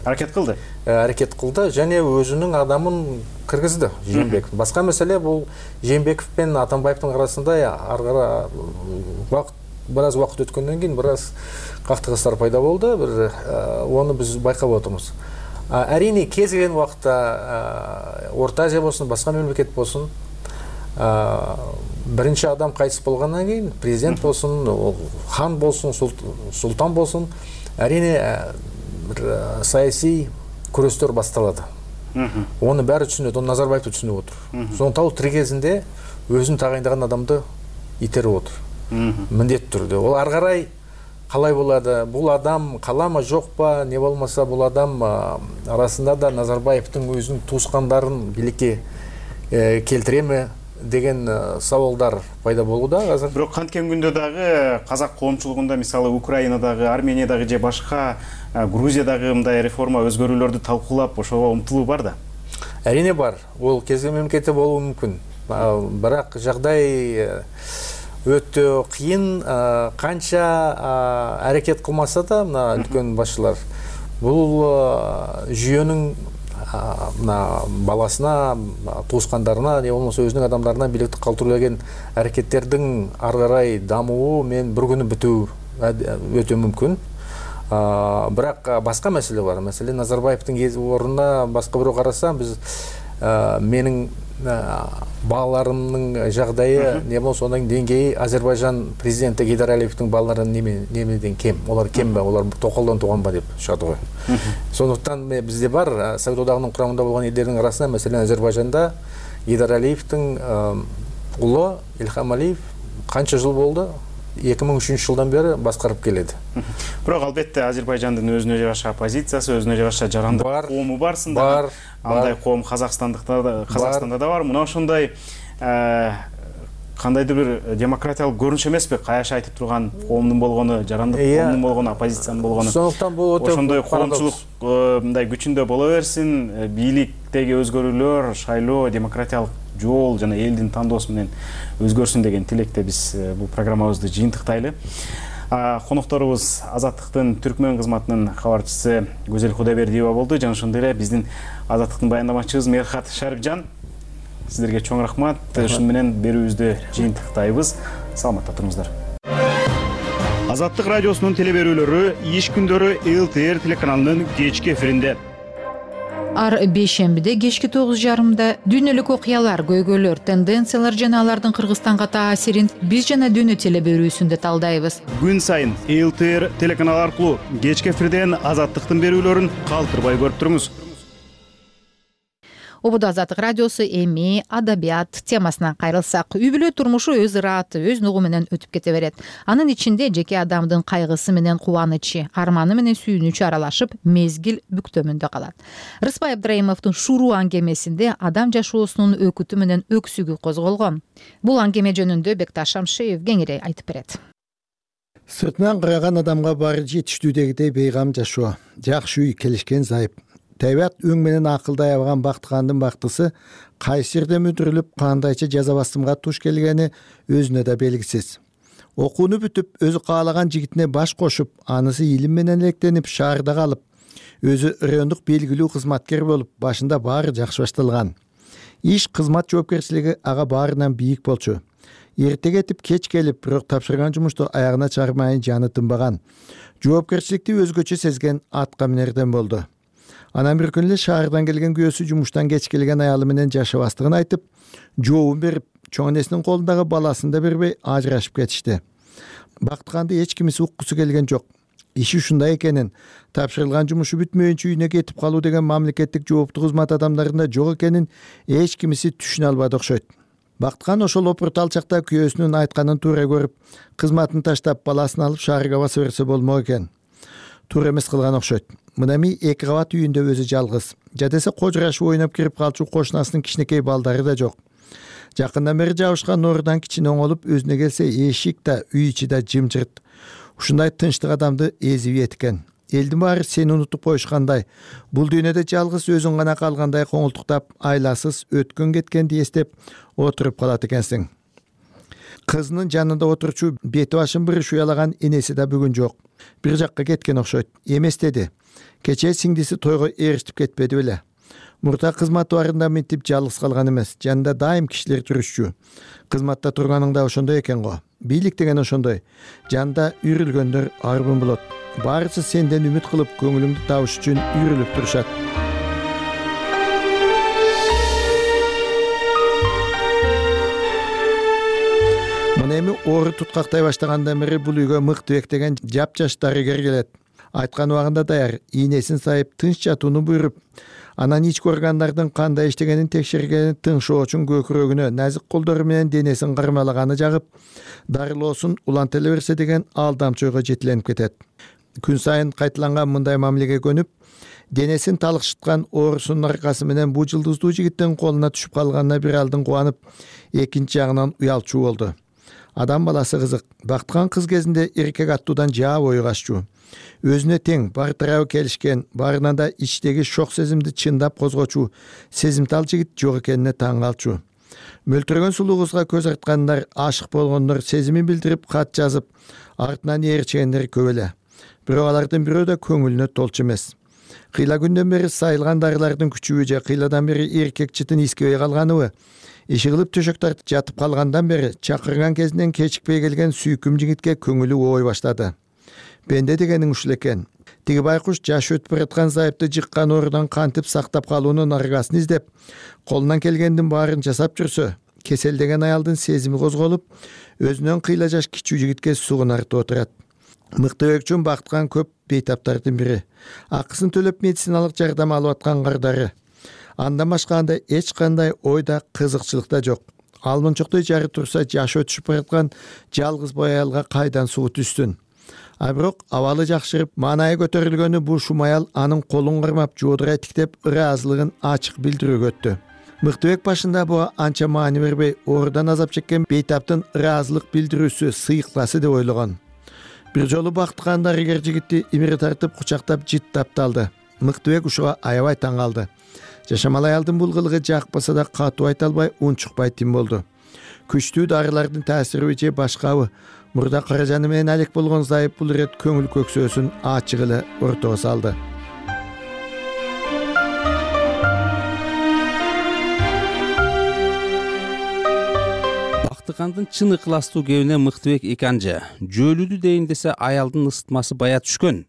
аракет кылды. Аракет кылды және өзүнүн адамын кыргызды, Жээнбеков. Башка маселе бул Жээнбеков менен Атамбаевдин арасында ар кара бир аз убакыт өткөндөн кийин бир аз кактыгыстар пайда болду, бир оны биз байкап отурмуз. Әрине кез келген убакта Орта Азия болсун, башка мемлекет болсун, биринчи адам кайтыс болгондон кийин президент болсун, хан болсун, султан болсун, әрине бир саясий күрөстөр башталат. Оны баары түшүнөт, оны Назарбаев да түшүнүп отур. Сондуктан ал тирик кезинде өзүн тагайындаган адамды итерип отур. Міндетті түрде. Ол ары қарай қалай болады? Бұл адам қала ма жоқ па? Не болмаса бұл адам арасында да Назарбаевтың өзінің туысқандарын билікке келтіре ме деген сауалдар пайда болуда азыр. Бирок канткен күндө дагы казак коомчулугунда, мисалы Украинадагы, Армениядагы же башка Грузиядагы мындай реформа өзгөрүүлөрдү талкуулап ошого умтулуу бар да. Әрине бар. Ол кез келген мемлекетте болуу мүмкүн. Бирок жагдай өтө кыйын, канча аракет кылмаса да мына үлкөн башчылар бул жүйөнүн баласына, туускандарына, не болмосо өзүнүн адамдарына бийликти калтыруу деген аракеттердин ары карай дамуу мен бир күнү бүтүү өтө мүмкүн. Бирок башка маселе бар. Маселен, Назарбаевдин ордуна башка бирөө караса, биз менин балаларымдын жагдайы не болсо анын деңгээи Азербайжан президенти Гейдар Алиевдин балаларынын немеден кем. Олар кемби, олар токолдон тууганбы деп чыгат го. Сондуктан бизде бар Совет одагынын курамында болгон элдердин арасында, маселен, Азербайжанда Гейдар Алиевдин уулу Илхам Алиев канча жыл болду? 2003 жылдан бери башкарып келет. Бирок албетте Азербайжандын өзүнө жараша оппозициясы, өзүнө жараша жарандык коому барсында. Бар. Андай коом Казакстанда да бар. Мына ошондой кандайдыр бир демократиялык көрүнүш эмеспи? Каяш айтып турган коомдун болгону, жарандык коомдун болгону, оппозициянын болгону. Сондуктан бул өтө ошондой коомчулук мындай күчүндө боло берсин, бийликтеги өзгөрүүлөр, шайлоо, демократиялык жол жана элдин тандоосу менен өзгөрсүн деген тилекте биз бул программабызды жыйынтыктайлы. Конокторубуз Азаттыктын Түркмөн кызматынын кабарчысы Гүзел Кудайбердиева болду. Жана ошондой эле биздин Азаттыктын баяндамачыбыз Мерхат Шарипжан. Сиздерге чоң рахмат. Ушун менен берүүбүздү жыйынтыктайбыз. Саламатта туруңуздар. Азаттык радиосунун телеберүүлөрү иш күндөрү ЛТР телеканалынын кечки эфиринде. Ар бейшембиде кечки 9:30 дүйнөлүк окуялар, көйгөйлөр, тенденциялар жана алардын Кыргызстанга таасирин биз жана дүйнө телеберүүсүндө талдайбыз. Күн сайын ЛТР телеканалы аркылуу кечки эфирден Азаттыктын берүүлөрүн калтырбай көрүп туруңуз. Ободо Азаттык радиосу эми адабият темасынан кайрылсак, үй бүлө турмушу өз ырааты, өз нугу менен өтүп кете берет. Анын ичинде жеке адамдын кайгысы менен кубанычы, арманы менен сүйүнүчү аралашып, мезгил бүктөмүндө калат. Рыспай Абдрайымовдун Шуруу аңгемесинде адам жашоосунун өкүтү менен өксүгү козголгон. Бул аңгеме жөнүндө Бекташ Шамшиев кеңири айтып берет. Сыртынан караган адамга баары жетиштүү дегидей бейгам жашоо, жакшы үй, келишкен зайып. Табият өң менен акылдай абаган бактыгандын бактысы кайсы жерде мүдүрүлүп, кандайча жаза басымга туш келгени өзүнө да белгисиз. Окууну бүтүп, өзү каалаган жигитине баш кошуп, анысы илим менен электенип, шаарда калып, өзү райондук белгилүү кызматкер болуп, башында баары жакшы башталган. Иш, кызмат жоопкерчилиги ага баарынан бийик болчу. Эрте кетип, кеч келип, бирок тапшырган жумушту аягына чыгармай жаны тынбаган. Жоопкерчиликти өзгөчө сезген атка минерден болду. Анан бир күнү эле шаардан келген күйөөсү жумуштан кеч келген аялы менен жашабастыгын айтып, жообун берип, чоң энесинин колундагы баласын да бербей ажырашып кетишти. Бактыганды эч кимиси уккусу келген жок. Иши ушундай экенин, тапшырылган жумушу бүтмөйүнчө үйүнө кетип калуу деген мамлекеттик жооптуу кызмат адамдарында жок экенин эч кимиси түшүнө албады окшойт. Бактыган ошол опурт алчакта күйөөсүнүн айтканын туура көрүп, кызматын таштап, баласын алып шаарга баса берсе болмок экен. Туура эмес кылган окшойт. Мынами 2 кабат үйүндө өзү жалгыз. Жадесе кожурашып ойноп кирип калчу кошунасынын кичинекей балдары да жок. Жакындан бери жабышкан нуурдан кичине оңолуп, өзүнө келсе эшик да, үй ичи да жымжырт. Ушундай тынчтык адамды эзип экен. Элдин баары сени унутуп коюшкандай, бул дүйнөдө жалгыз өзүң гана калгандай коңултуктап, айласыз өткөн кеткенди эстеп отуруп калат экенсиң. Кызынын жанында отурчу бети башын бириш уялаган энеси да бүгүн жок. Бир жакка кеткен окшойт. Эмес деди. Кече сиңдиси тойго эрişип кетпеди беле. Мурда кызматы барында минтип жалгыз калган эмес. Жанында дайым кишилер жүрүшчү. Кызматта турганыңда ошондой экен го. бийлик деген ошондой. Жанда үйрүлгөндөр арбын болот. Баарысы сенден үмүт кылып, көңүлүңдү табыш үчүн үйрүлүп турушат. Мына эми оору туткактай баштагандан бери бул үйгө Мыктыбек деген жапжаш дарыгер келет. Айткан убагында даяр, ийнесин сайып, тынч жатууну буйруп, анан ички органдардын кандай иштегенин текшергени, тыңшоочун көкүрөгүнө назик колдору менен денесин кармалаганы жагып, дарылоосун улантыла берсе деген алдамчы ойго жетиленип кетет. Күн сайын кайталанган мындай мамилеге көнүп, денесин талыкшыткан оорусунун аркасы менен бул жылдыздуу жигиттин колуна түшүп калганына бир алдын кубанып, экинчи жагынан уялчу болду. Адам баласы кызык. Бактыган кыз кезинде эркек аттуудан жаа бою каччу. Өзүнө тең, бар тарабы келишкен, барынан да ичтеги шок сезимди чындап козгочу, сезимтал жигит жок экенине таң калчу. Мөлтүрөгөн сулуу кызга көз арткандар, ашык болгондор, сезимин билдирип кат жазып, артынан ээрчигендер көп эле. Бирок алардын бирөө да көңүлүнө толчу эмес. Кыйла күндөн бери сайылган дарылардын күчүбү же кыйладан бери эркек чытын искебей калганыбы? Иши кылып төшөк тартып жатып калгандан бери чакырган кезинен кечикпей келген сүйкүм жигитке көңүлү ообой баштады. Бенде дегениң ушул экен. Тиги байкуш жашы өтүп бараткан зайыпты жыккан оорудан кантип сактап калуунун аргасын издеп, колунан келгендин баарын жасап жүрсө, кеселдеген аялдын сезими козголуп, өзүнөн кыйла жаш кичүү жигитке сугунартып отурат. Мыктыбек үчүн бактыган көп бейтаптардын бири. Акысын төлөп медициналык жардам алып аткан кардары. Андан башка анда эч кандай ойда, кызыкчылык да жок. Алмынчоктой жары турса, жашы өтүшүп бараткан жалгыз бой аялга кайдан суу түшсүн? А бирок абалы жакшырып, маанайы көтөрүлгөнү бул шум аял анын колун кармап, жоодурай тиктеп, ыраазылыгын ачык билдирүүгө өттү. Мыктыбек башында буга анча маани бербей, оорудан азап чеккен бейтаптын ыраазылык билдирүүсү сыйыкласы деп ойлогон. Бир жолу бактыган дарыгер жигитти имири тартып, кучактап, жыттап алды. Мыктыбек ушуга аябай таң калды. Жашамал аялдын бул кылыгы жакпаса да катуу айта албай, унчукпай тим болду. Күчтүү дарылардын таасириби же башкабы? Мурда каражаны менен алек болгон зайып бул ирет көңүл көксөөсүн ачык эле ортого салды. Бактыгандын чын ыкластуу кебине Мыктыбек эканжы. Жөөлүдү дейин десе аялдын ысытмасы бая түшкөн.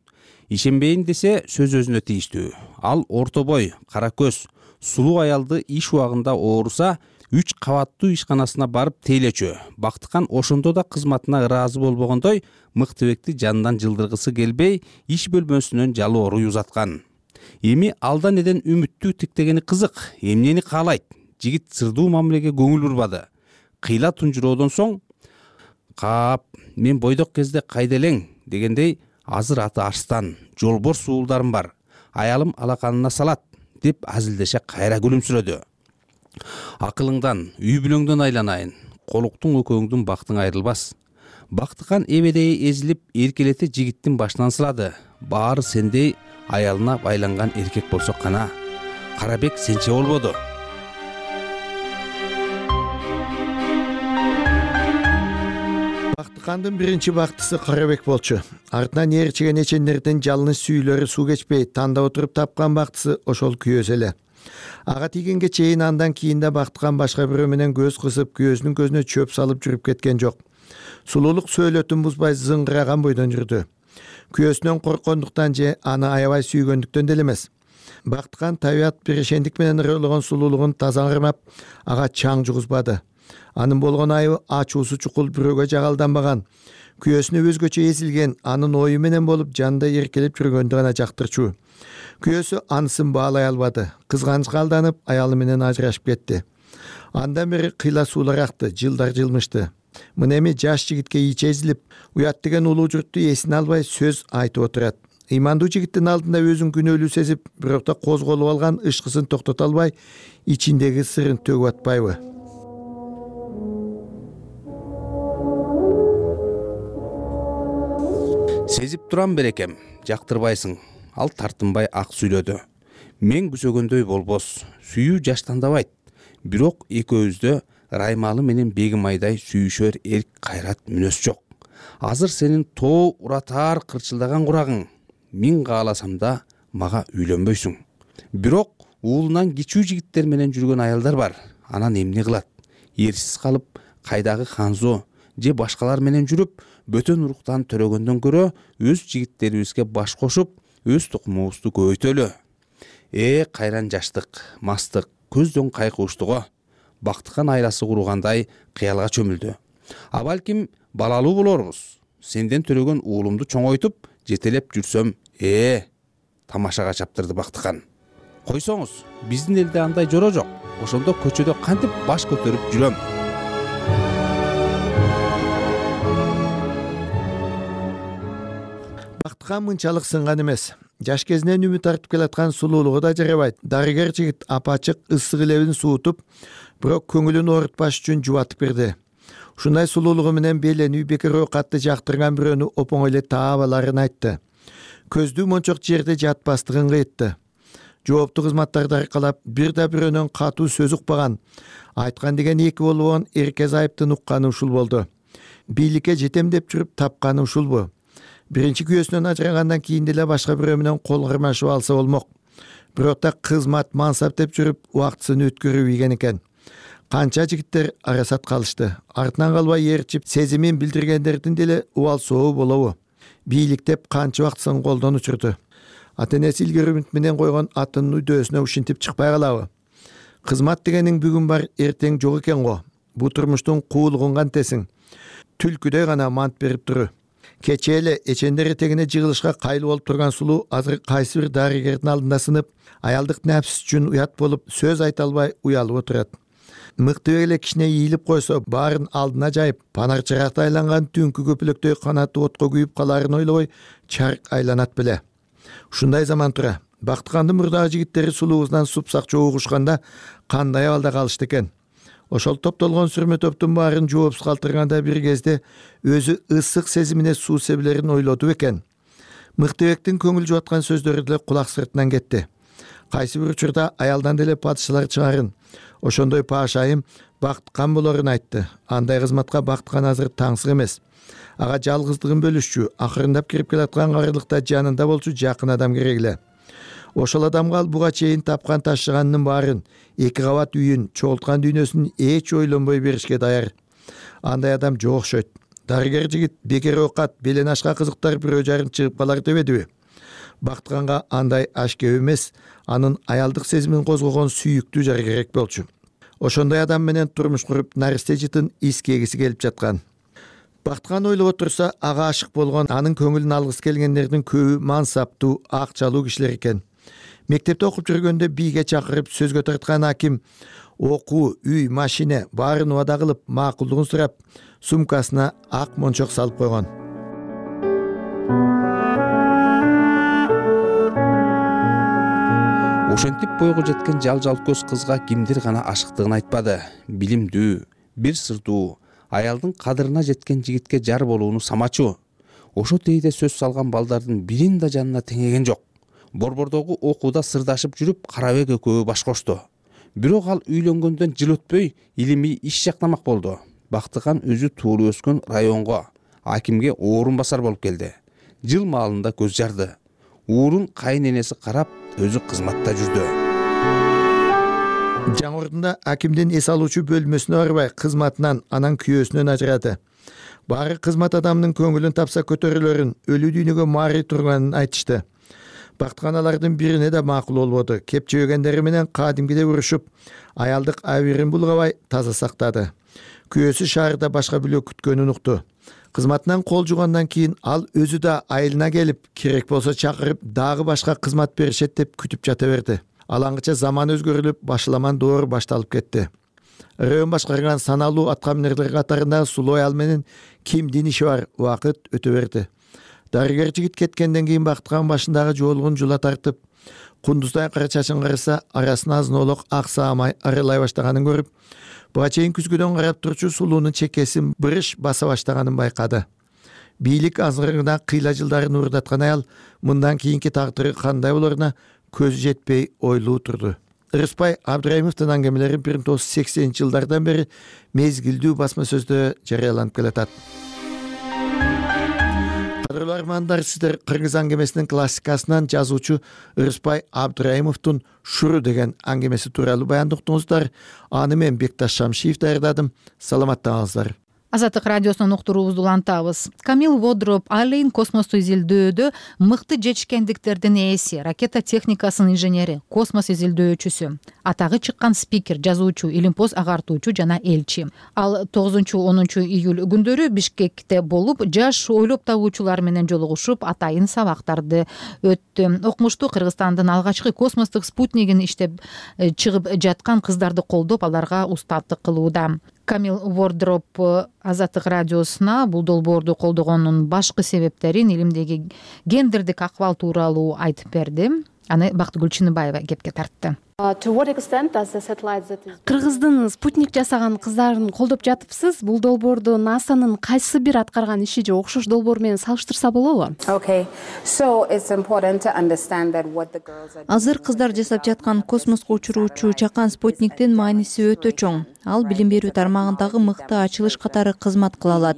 Ишенбейин десе сөз өзүнө тийиштүү. Ал орто бой, кара көз, сулуу аялды иш убагында ооруса, 3 кабаттуу ишканасына барып тейлечү. Бактыган ошондо да кызматына ыраазы болбогондой, Мыктыбекти жандан жылдыргысы келбей, иш бөлмөсүнөн жалоору узаткан. Эми алдан эден үмүттүү тиктегени кызык, эмнени каалайт? Жигит сырдуу мамилеге көңүл бурбады. Кыйла тунжуроодон соң, "Кап, мен бойдок кезде кайда элең?" дегендей, "Азыр аты Арстан, жолбор суулдарым бар. Аялым алаканына салат" деп азилдеше кайра күлүмсүрөдү. "Акылыңдан, үй бүлөңдөн айланайын. Колуктуң экөөңдүн бактың айрылбас." Бактыган эбедей эзилип, эркелете жигиттин башынан сылады. Баары сендей аялына байланган эркек болсо кана. Карабек сенче болбоду. Бактыгандын биринчи бактысы Карабек болчу. Артынан ээрчиген эчендердин жалыныч сүйүлөрү суу кечпей тандап отуруп тапкан бактысы ошол күйөөс эле. Ага тийгенге чейин андан кийин да Бактыган башка бирөө менен көз кысып, күйөөсүнүн көзүнө чөп салып жүрүп кеткен жок. Сулуулук сөөлөтүн бузбай зыңгыраган бойдон жүрдү. Күйөөсүнөн корккондуктан же аны аябай сүйгөндүктөн деле эмес. Бактыган табият бирешендик менен ырыгылган сулуулугун таза кармап, ага чаң жугузбады. Анын болгон айыбы ачуусу чукул бирөөгө жагалданбаган, күйөөсүнө өзгөчө эзилген, анын ою менен болуп жанда эркелеп жүргөндү гана жактырчу. Күйөөсү анысын баалай албады. Кызганычка алданып, аялы менен ажырашып кетти. Андан бери кыйла суулар акты, жылдар жылмышты. Мына эми жаш жигитке ичи эзилип, уят деген улуу журтту эсине албай сөз айтып отурат. Ыймандуу жигиттин алдында өзүн күнөөлүү сезип, бирок да козголуп алган ышкысын токтото албай, ичиндеги сырын төгүп атпайбы? Сезип турам берекем, жактырбайсың. Ал тартынбай ак сүйлөдү. Мен күсөгөндөй болбос, сүйүү жаштандабайт. Бирок экөөбүздө Раймалы менен Бегим айдай сүйүшөр эрк кайрат мүнөс жок. Азыр сенин тоо уратаар кырчылдаган курагың. Мен кааласам да мага үйлөнбөйсүң. Бирок уулунан кичүү жигиттер менен жүргөн аялдар бар. Анан эмне кылат? Эрсиз калып, кайдагы Ханзо же башкалар менен жүрүп бөтөн уруктан төрөгөндөн көрө өз жигиттерибизге баш кошуп өз тукумубузду көбөйтөлү. Кайран жаштык, мастык, көздөн кайкыбыштыго. Бактыкан айласы кургандай кыялга чөмүлдү. А балким балалуу болорбуз. Сенден төрөгөн уулумду чоңойтуп, жетелеп жүрсөм, тамашага чаптырды Бактыкан. Койсоңуз, биздин элде андай жора жок. Ошондо көчөдө кантип баш көтөрүп жүрөм. Бактыкан мынчалык сынган эмес. Жаш кезинен үмүт артып келаткан сулуулугу да жарабайт. Дарыгер жигит апачык ысык лебин суутуп, бирок көңүлүн оорутпаш үчүн жубатып берди. Ушундай сулуулугу менен беленүү бекер оокатты жактырган бирөөнү опоң эле таап аларын айтты. Көздүү мончок жерде жатпастыгын кыйтты. Жооптуу кызматтарды аркалап бир да бирөөнөн катуу сөз укпаган, айткан деген эки болбогон эркез айыптын укканы ушул болду. Бийликке жетем деп жүрүп тапканы ушулбу? Биринчи күйөөсүнөн ажырагандан кийин деле башка бирөө менен кол кармашып алса болмок. Бирок да кызмат, мансап деп жүрүп убактысын өткөрүп ийген экен. Канча жигиттер арасат калышты. Артынан калбай ээрчип, сезимин билдиргендердин деле убал сообу болобу? Бийликтеп канча убактысын колдон учурду. Ата-энеси илгери үмүт менен койгон атынын үйдөөсүнө ушинтип чыкпай калабы? Кызмат дегениң бүгүн бар, эртең жок экен го. Бу турмуштун куулугун кантесиң? Түлкүдөй гана мант берип туру. Кече эле эчендер этегине жыгылышка кайыл болуп турган сулуу азыр кайсы бир дарыгердин алдында сынып, аялдык нәпс үчүн уят болуп, сөз айта албай уялып отурат. Мыкты эле кичине ийилип койсо, баарын алдына жайып, панар чыракта айланган түнкү көпүлөктөй канаты отко күйүп калаарын ойлобой, чарк айланат беле. Ушундай заман тура. Бактыкандын мурдагы жигиттери сулуубуздан супсак чогушканда кандай абалда калышты экен. Ошол топтолгон сүрмө топтун баарын жоопсуз калтырганда бир кезде өзү ысык сезимине суу себилерин ойлоду экен. Мыктыбектин көңүл жубаткан сөздөрү деле кулак сыртынан кетти. Кайсы бир учурда аялдан деле падышалар чыгарын. Ошондой паашайым Бактыкан болорун айтты. Андай кызматка Бактыкан азыр таңсык эмес. Ага жалгыздыгын бөлүшчү, акырындап кирип келаткан карылыкта жанында болчу жакын адам керек эле. Ошол адамга ал буга чейин тапкан ташыганынын баарын, эки кабат үйүн, чогулткан дүйнөсүн эч ойлонбой беришке даяр. Андай адам жок окшойт. Дарыгер жигит бекер оокат, белен ашка кызыктар бирөө жарын чыгып калар дебедиби? Бактыканга андай аш кеп эмес, анын аялдык сезимин козгогон сүйүктүү жар керек болчу. Ошондой адам менен турмуш куруп, наристе жытын искегиси келип жаткан. Бактыкан ойлоп отурса, ага ашык болгон, анын көңүлүн алгысы келгендердин көбү мансаптуу, акчалуу кишилер экен. Мектепте окуп жүргөндө бийге чакырып сөзгө тарткан аким окуу, үй, машина баарын убада кылып, макулдугун сурап, сумкасына ак мончок салып койгон. Ошентип бойго жеткен жал-жал көз кызга кимдир гана ашыктыгын айтпады. Билимдүү, бир сырдуу, аялдын кадырына жеткен жигитке жар болууну самачу. Ошо тейде сөз салган балдардын бирин да жанына теңеген жок. Борбордогу окууда сырдашып жүрүп, Карабек экөө баш кошту. Бирок ал үйлөнгөндөн жыл өтпөй илимий иш жактамак болду. Бактыкан өзү туулуп өскөн районго, акимге орун басар болуп келди. Жыл маалында көз жарды. Уурун кайын энеси карап, өзү кызматта жүрдү. Жаңы ордунда акимдин эс алуучу бөлмөсүнө барбай, кызматынан, анан күйөөсүнөн ажырады. Баары кызмат адамынын көңүлүн тапса көтөрүлөрүн, өлүү дүйнөгө мари турганын айтышты. Бактыкан алардын бирине да макул болбоду. Кепчебегендери менен кадимкиде урушуп, аялдык абийирин булгабай таза сактады. Күйөөсү шаарда башка бирөө күткөнүн укту. Кызматынан кол жугандан кийин ал өзү да айылына келип, керек болсо чакырып, дагы башка кызмат беришет деп күтүп жата берди. Алаңгыча заман өзгөрүлүп, башаламан доор башталып кетти. Район башкарган саналуу аткаминерлер катарында сулуу аял менен кимдин иши бар, убакыт өтө берди. Дарыгер жигит кеткенден кийин Бактыкан башындагы жоолугун жула тартып, кундуздай кара чачын караса, арасын азын-олок ак саамай арылай баштаганын көрүп, буга чейин күзгүдөн карап турчу сулуунун чекесин бырыш баса баштаганын байкады. Бийлик азырыгына кыйла жылдарын уурдаткан аял мындан кийинки тагдыры кандай болоруна көзү жетпей ойлуу турду. Рыспай Абдраимовдун аңгемелери 1980-жылдардан бери мезгилдүү басма сөздө жарыяланып келатат. Кадырлуу армандар, сиздер кыргыз аңгемесинин классикасынан жазуучу Рыспай Абдраимовдун Шуру деген аңгемеси тууралуу баяндоо уктуңуздар. Аны мен Бекташ Шамшиев даярдадым. Саламатта калыңыздар. Азаттык радиосунун уктуруубузду улантабыз. Камил Водроп Алейн космосту изилдөөдө мыкты жетишкендиктердин ээси, ракета техникасынын инженери, космос изилдөөчүсү, атагы чыккан спикер, жазуучу, илимпоз агартуучу жана элчи. Ал 9-10 июль күндөрү Бишкекте болуп, жаш ойлоп табуучулар менен жолугушуп, атайын сабактарды өттү. Окумуштуу Кыргызстандын алгачкы космостук спутнигин иштеп чыгып жаткан кыздарды колдоп, аларга устаттык кылууда. Камил Водроп Азаттык радиосуна бул долбоорду колдогонунун башкы себептерин, илимдеги гендердик акыбал тууралуу айтып берди. Аны Бактыгүл Чыныбаева кепке тартты. Кыргыздын спутник жасаган кыздарын колдоп жатыпсыз. Бул долбоорду НАСАнын кайсы бир аткарган иши же окшош долбоор менен салыштырса болобу? Азыр кыздар жасап жаткан космоско учуруучу чакан спутниктин мааниси өтө чоң. Ал билим берүү тармагындагы мыкты ачылыш катары кызмат кыла алат.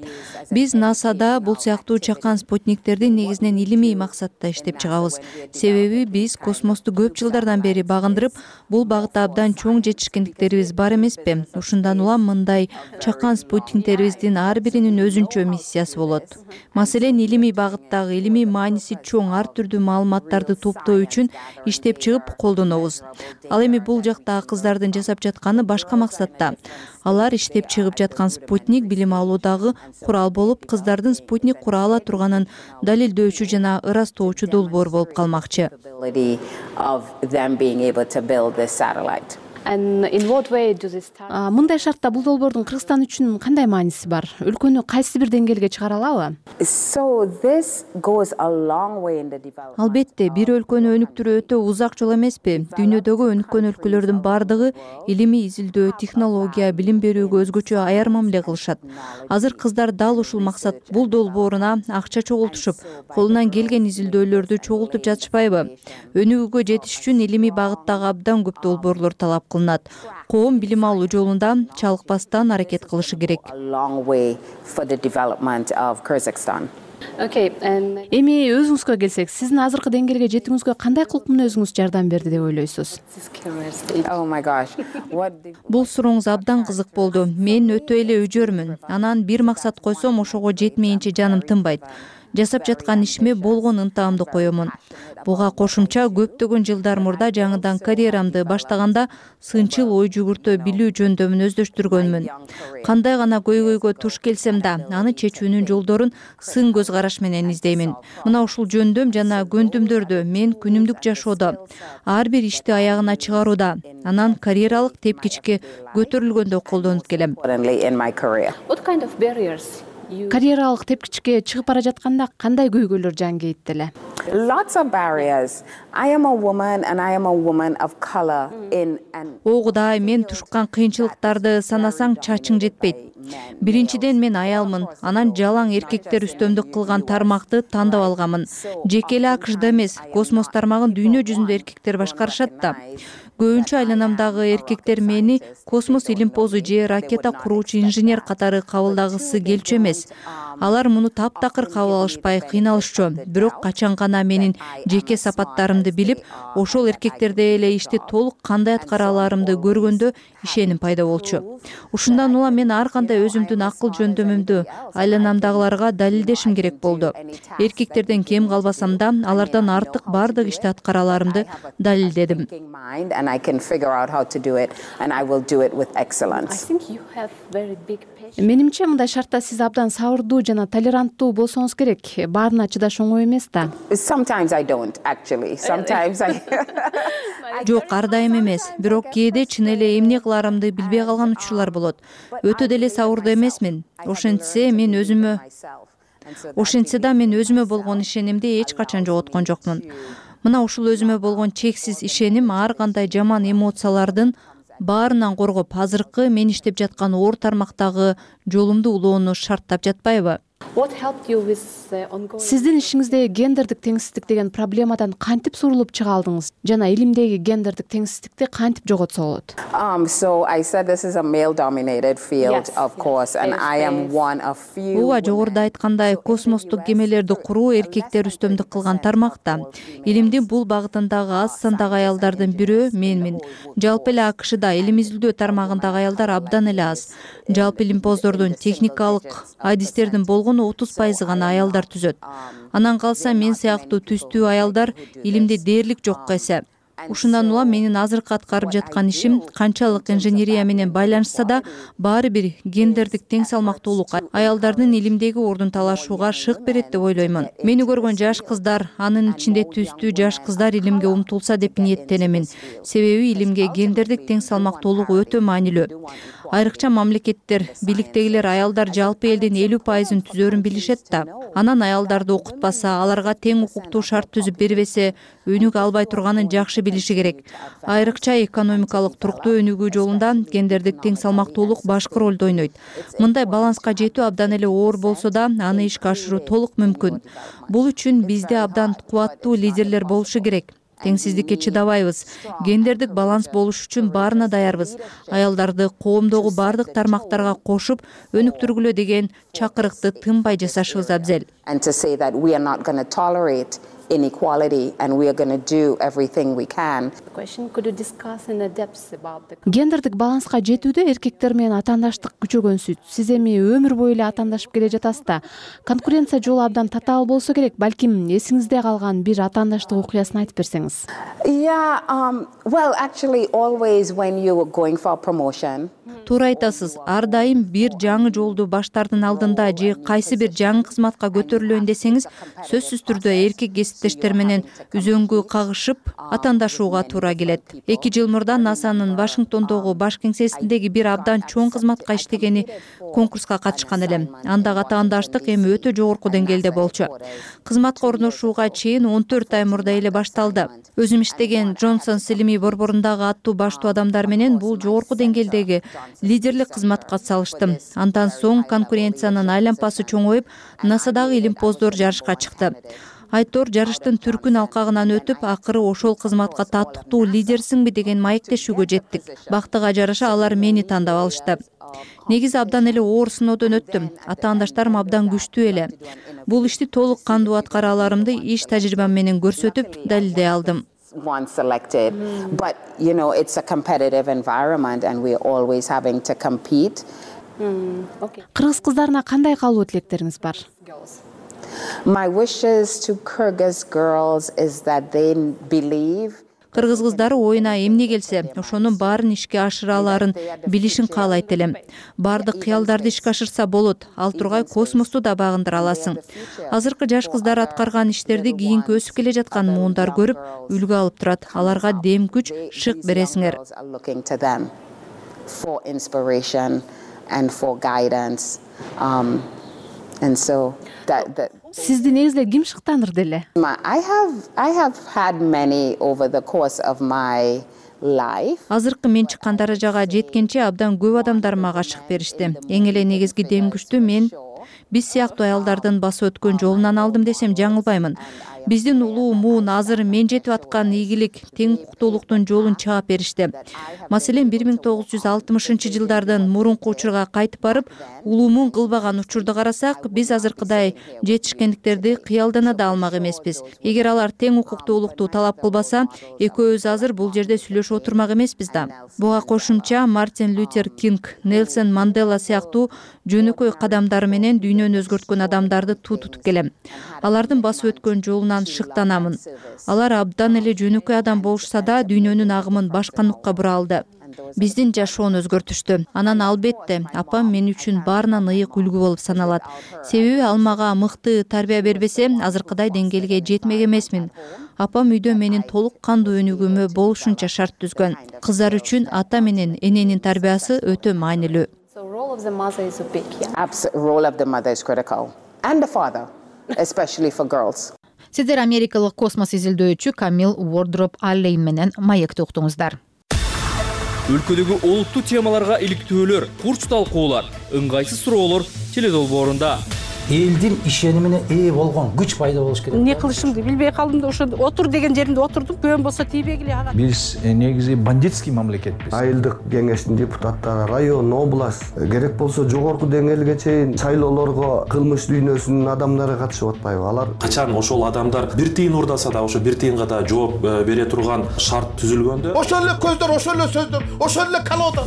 Биз НАСАда бул сыяктуу чакан спутниктерди негизинен илимий максатта иштеп чыгабыз. Себеби биз космосту көп жылдардан бери багындырып, бул багытта абдан чоң жетишкендиктерибиз бар эмеспи? Ушундан улам мындай чакан спутниктерибиздин ар биринин өзүнчө миссиясы болот. Маселен, илимий багыттагы, илимий мааниси чоң ар түрдүү маалыматтарды топтоо үчүн иштеп чыгып колдонобуз. Ал эми бул жакта кыздардын жасап жатканы башка максатта. Алар иштеп чыгып жаткан спутник билим алуудагы курал болуп, кыздардын спутник кура ала турганын далилдөөчү жана ырастоочу долбоор болуп калмакчы. Мындай шартта бул долбоордун Кыргызстан үчүн кандай мааниси бар? Өлкөнү кайсы бир деңгээлге чыгара алабы? Албетте, бир өлкөнү өнүктүрүү өтө узак жол эмеспи? Дүйнөдөгү өнүккөн өлкөлөрдүн бардыгы илимий изилдөө, технология, билим берүүгө өзгөчө аяр мамиле кылышат. Азыр кыздар дал ушул максат бул долбооруна акча чогултушуп, колунан келген изилдөөлөрдү чогултуп жатышпайбы? Өнүгүүгө жетиш үчүн илимий багыттагы абдан көп долбоорлор талап кылынат. Коом билим алуу жолунда чалыкпастан аракет кылышы керек. Эми өзүңүзгө келсек, сиздин азыркы деңгээлге жетүүңүзгө кандай кылык мүнөзүңүз жардам берди деп ойлойсуз? Бул сурооңуз абдан кызык болду. Мен өтө эле өжөрмүн. Анан бир максат койсом, ошого жетмейинче жаным тынбайт. Жасап жаткан ишиме болгон ынтаамды коёмун. Буга кошумча көптөгөн жылдар мурда жаңыдан карьерамды баштаганда сынчыл ой жүгүртө билүү жөндөмүн өздөштүргөнмүн. Кандай гана көйгөйгө туш келсем да, аны чечүүнүн жолдорун сын көз караш менен издеймин. Мына ушул жөндөм жана көндүмдөрдү мен күнүмдүк жашоодо, ар бир ишти аягына чыгарууда, анан карьералык тепкичке көтөрүлгөндө колдонуп келем. Карьералык тепкичке чыгып бара жатканда кандай көйгөйлөр жан кейит деле? Огудай мен тушкан кыйынчылыктарды санасаң чачың жетпейт. Биринчиден мен аялмын, анан жалаң эркектер үстөмдүк кылган тармакты тандап алганмын. Жеке эле АКШда эмес, космос тармагын дүйнө жүзүндө эркектер башкарышат да. Көбүнчө айланамдагы эркектер мени космос илимпозу же ракета куруучу инженер катары кабылдагысы келчү эмес. Алар муну таптакыр кабыл алышпай кыйналышчу. Бирок качан гана менин жеке сапаттарымды билип, ошол эркектердей эле ишти толук кандай аткара аларымды көргөндө ишеним пайда болчу. Ушундан улам мен ар кандай өзүмдүн акыл жөндөмүмдү айланамдагыларга далилдешим керек болду. Эркектерден кем калбасам да, алардан артык бардык ишти аткара аларымды далилдедим. Менимче мындай шартта сиз абдан сабырдуу жана толеранттуу болсоңуз керек. Баарына чыдаш оңой эмес да. Жок, ар дайым эмес. Бирок кээде чын эле эмне кыларымды билбей калган учурлар болот. Өтө деле сабырдуу эмесмин. Ошентсе да мен өзүмө болгон ишенимди эч качан жоготкон жокмун. Мына ушул өзүмө болгон чексиз ишеним ар кандай жаман эмоциялардын баарынан коргоп, азыркы мен иштеп жаткан оор тармактагы жолумду улоону шарттап жатпайбы? Сиздин ишиңизде гендердик теңсиздик деген проблемадан кантип сурулуп чыга алдыңыз жана илимдеги гендердик теңсиздикти кантип жоготсо болот? Ооба, жогоруда айткандай, космостук кемелерди куруу эркектер үстөмдүк кылган тармакта. Илимдин бул багытындагы аз сандагы аялдардын бирөө менмин. Жалпы эле АКШда илим изилдөө тармагындагы аялдар абдан эле аз. Жалпы илимпоздордун техникалык адистердин болгону 30% гана аялдар түзөт. Анан калса мен сыяктуу түстүү аялдар илимде дээрлик жокко эсе. Ушундан улам менин азыркы аткарып жаткан ишим канчалык инженерия менен байланышса да, баары бир гендердик тең салмактуулук аялдардын илимдеги ордун талашууга шык берет деп ойлоймун. Мени көргөн жаш кыздар, анын ичинде түстүү жаш кыздар илимге умтулса деп ниеттенемин. Себеби илимге гендердик тең салмактуулук өтө маанилүү. Айрыкча мамлекеттер, бийликтегилер аялдар жалпы элдин 50%-ын түзөрүн билишет да. Анан аялдарды окутпаса, аларга тең укуктуу шарт түзүп бербесе, өнүгө албай турганын жакшы билиши керек. Айрыкча экономикалык туруктуу өнүгүү жолунда гендердик тең салмактуулук башкы ролду ойнойт. Мындай баланска жетүү абдан эле оор болсо да, аны ишке ашыруу толук мүмкүн. Бул үчүн бизде абдан кубаттуу лидерлер болушу керек. Теңсиздикке чыдабайбыз. Гендердик баланс болуш үчүн баарына даярбыз. Аялдарды коомдогу бардык тармактарга кошуп, өнүктүргүлө деген чакырыкты тынбай жасашыбыз абзел. Inequality and we are going to do everything we can. Гендердик баланска жетүүдө эркектер менен атаандаштык күчөгөнсүз. Сиз эми өмүр бою эле атаандашып келе жатасыз да. Конкуренция жолу абдан татаал болсо керек. Балким эсиңизде калган бир атаандаштык окуясын айтып берсеңиз. Well, actually always when you were going for promotion. Туура айтасыз. Ар дайым бир жаңы жолду баштардын алдында же кайсы бир жаңы кызматка көтөрүлөйүн десеңиз, сөзсүз түрдө эркек кесиптештер менен үзөңгү кагышып, атаандашууга туура келет. 2 жыл мурда НАСАнын Вашингтондогу баш кеңсесиндеги бир абдан чоң кызматка иштегени конкурска катышкан элем. Андагы атаандаштык эми өтө жогорку деңгээлде болчу. Кызматка орношууга чейин 14 ай мурда эле башталды. Өзүм иштеген Джонсонс илимий борборундагы аттуу баштуу адамдар менен бул жогорку деңгээлдеги лидерлик кызматка салыштым. Андан соң конкуренциянын айлампасы чоңоюп, НАСАдагы илимпоздор жарышка чыкты. Айтор жарыштын түркүн алкагынан өтүп, акыры ошол кызматка татыктуу лидерсиңби деген маектешүүгө жеттик. Бактыга жараша алар мени тандап алышты. Негизи абдан эле оор сыноодон өттүм. Атаандаштарым абдан күчтүү эле. Бул ишти толук кандуу аткара аларымды иш тажрыйбам менен көрсөтүп, далилдей алдым. Once selected, but it's a competitive environment and we're always having to compete. Кыргыз кыздарына кандай калуу тилектериңиз бар? My wishes to Kyrgyz girls is that they believe. Кыргыз кыздары оюна эмне келсе, ошонун баарын ишке ашыра аларын билишин каалайт элем. Бардык кыялдарды ишке ашырса болот, ал тургай космосту да багындыра аласың. Азыркы жаш кыздар аткарган иштерди кийинки өсүп келе жаткан муундар көрүп, үлгү алып турат. Аларга дем күч, шык бересиңер. For inspiration and for guidance. And so Сизди негизде ким шыктандырды эле? I have had many over the course of my life. Азыркы мен чыккан даражага жеткенче абдан көп адамдар мага шык беришти. Эң эле негизги дем күчтү мен биз сыяктуу аялдардын басып өткөн жолунан алдым десем жаңылбаймын. Биздин улуу муун азыр мен жетип аткан ийгилик, тең укуктуулуктун жолун чаап беришти. Маселен, 1960-жылдардын мурунку учурга кайтып барып, улуу муун кылбаган учурду карасак, биз азыркыдай жетишкендиктерди кыялдана да алмак эмеспиз. Эгер алар тең укуктуулукту талап кылбаса, экөөбүз азыр бул жерде сүйлөшүп отурмак эмеспиз да. Буга кошумча Мартин Лютер Кинг, Нельсон Мандела сыяктуу жөнөкөй кадамдары менен дүйнөнү өзгөрткөн адамдарды тутуп келем. Алардын басып өткөн жолунан шыктанамын. Алар абдан эле жөнөкөй адам болушса да, дүйнөнүн агымын башка нукка бура алды. Биздин жашоону өзгөртүштү. Анан албетте, апам мен үчүн баарынан ыйык үлгү болуп саналат. Себеби ал мага мыкты тарбия бербесе, азыркыдай деңгээлге жетмек эмесмин. Апам үйдө менин толук кандуу өнүгүүмө болушунча шарт түзгөн. Кыздар үчүн ата менен эненин тарбиясы өтө маанилүү. Role of the mother is critical. And the father, especially for girls. Сиздер америкалык космос изилдөөчү Камил Уордроп Аллейн менен маекти уктуңуздар. Өлкөдөгү олуттуу темаларга иликтөөлөр, курч талкуулар, ыңгайсыз суроолор теледолбоорунда. элдин ишенимине ээ болгон күч пайда болуш керек. Эмне кылышымды билбей калдым да ошо отур деген жеримде отурдум. Көбөн болсо тийбегиле ага. Биз негизи бандитский мамлекетпиз. Айылдык кеңештин депутаттары, район, область, керек болсо жогорку деңгээлге чейин шайлоолорго кылмыш дүйнөсүнүн адамдары катышып атпайбы? Алар качан ошол адамдар бир тыйын урдаса да ошо бир тыйынга да жооп бере турган шарт түзүлгөндө ошол эле көздөр, ошол эле сөздөр, ошол эле колода.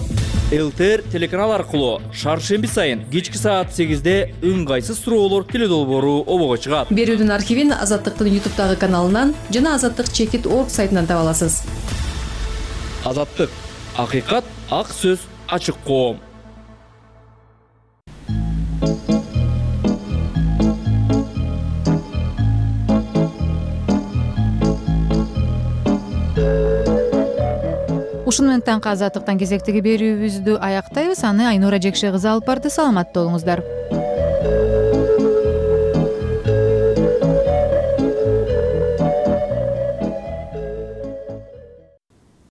ЛТР телеканал аркылуу шаршемби сайын кечки саат 8-де ыңгайсыз суроолор теледолбоору обого чыгат. Берүүдүн архивин Азаттыктын YouTube'дагы каналынан жана azаттык-org сайтынан таба аласыз. Азаттык, акыйкат, ак сөз, ачык коом. Ушуну менен таңкы азаттыктан кезектеги берүүбүздү аяктайбыз. Аны Айнура Жекше кызы алып барды. Саламатта болуңуздар.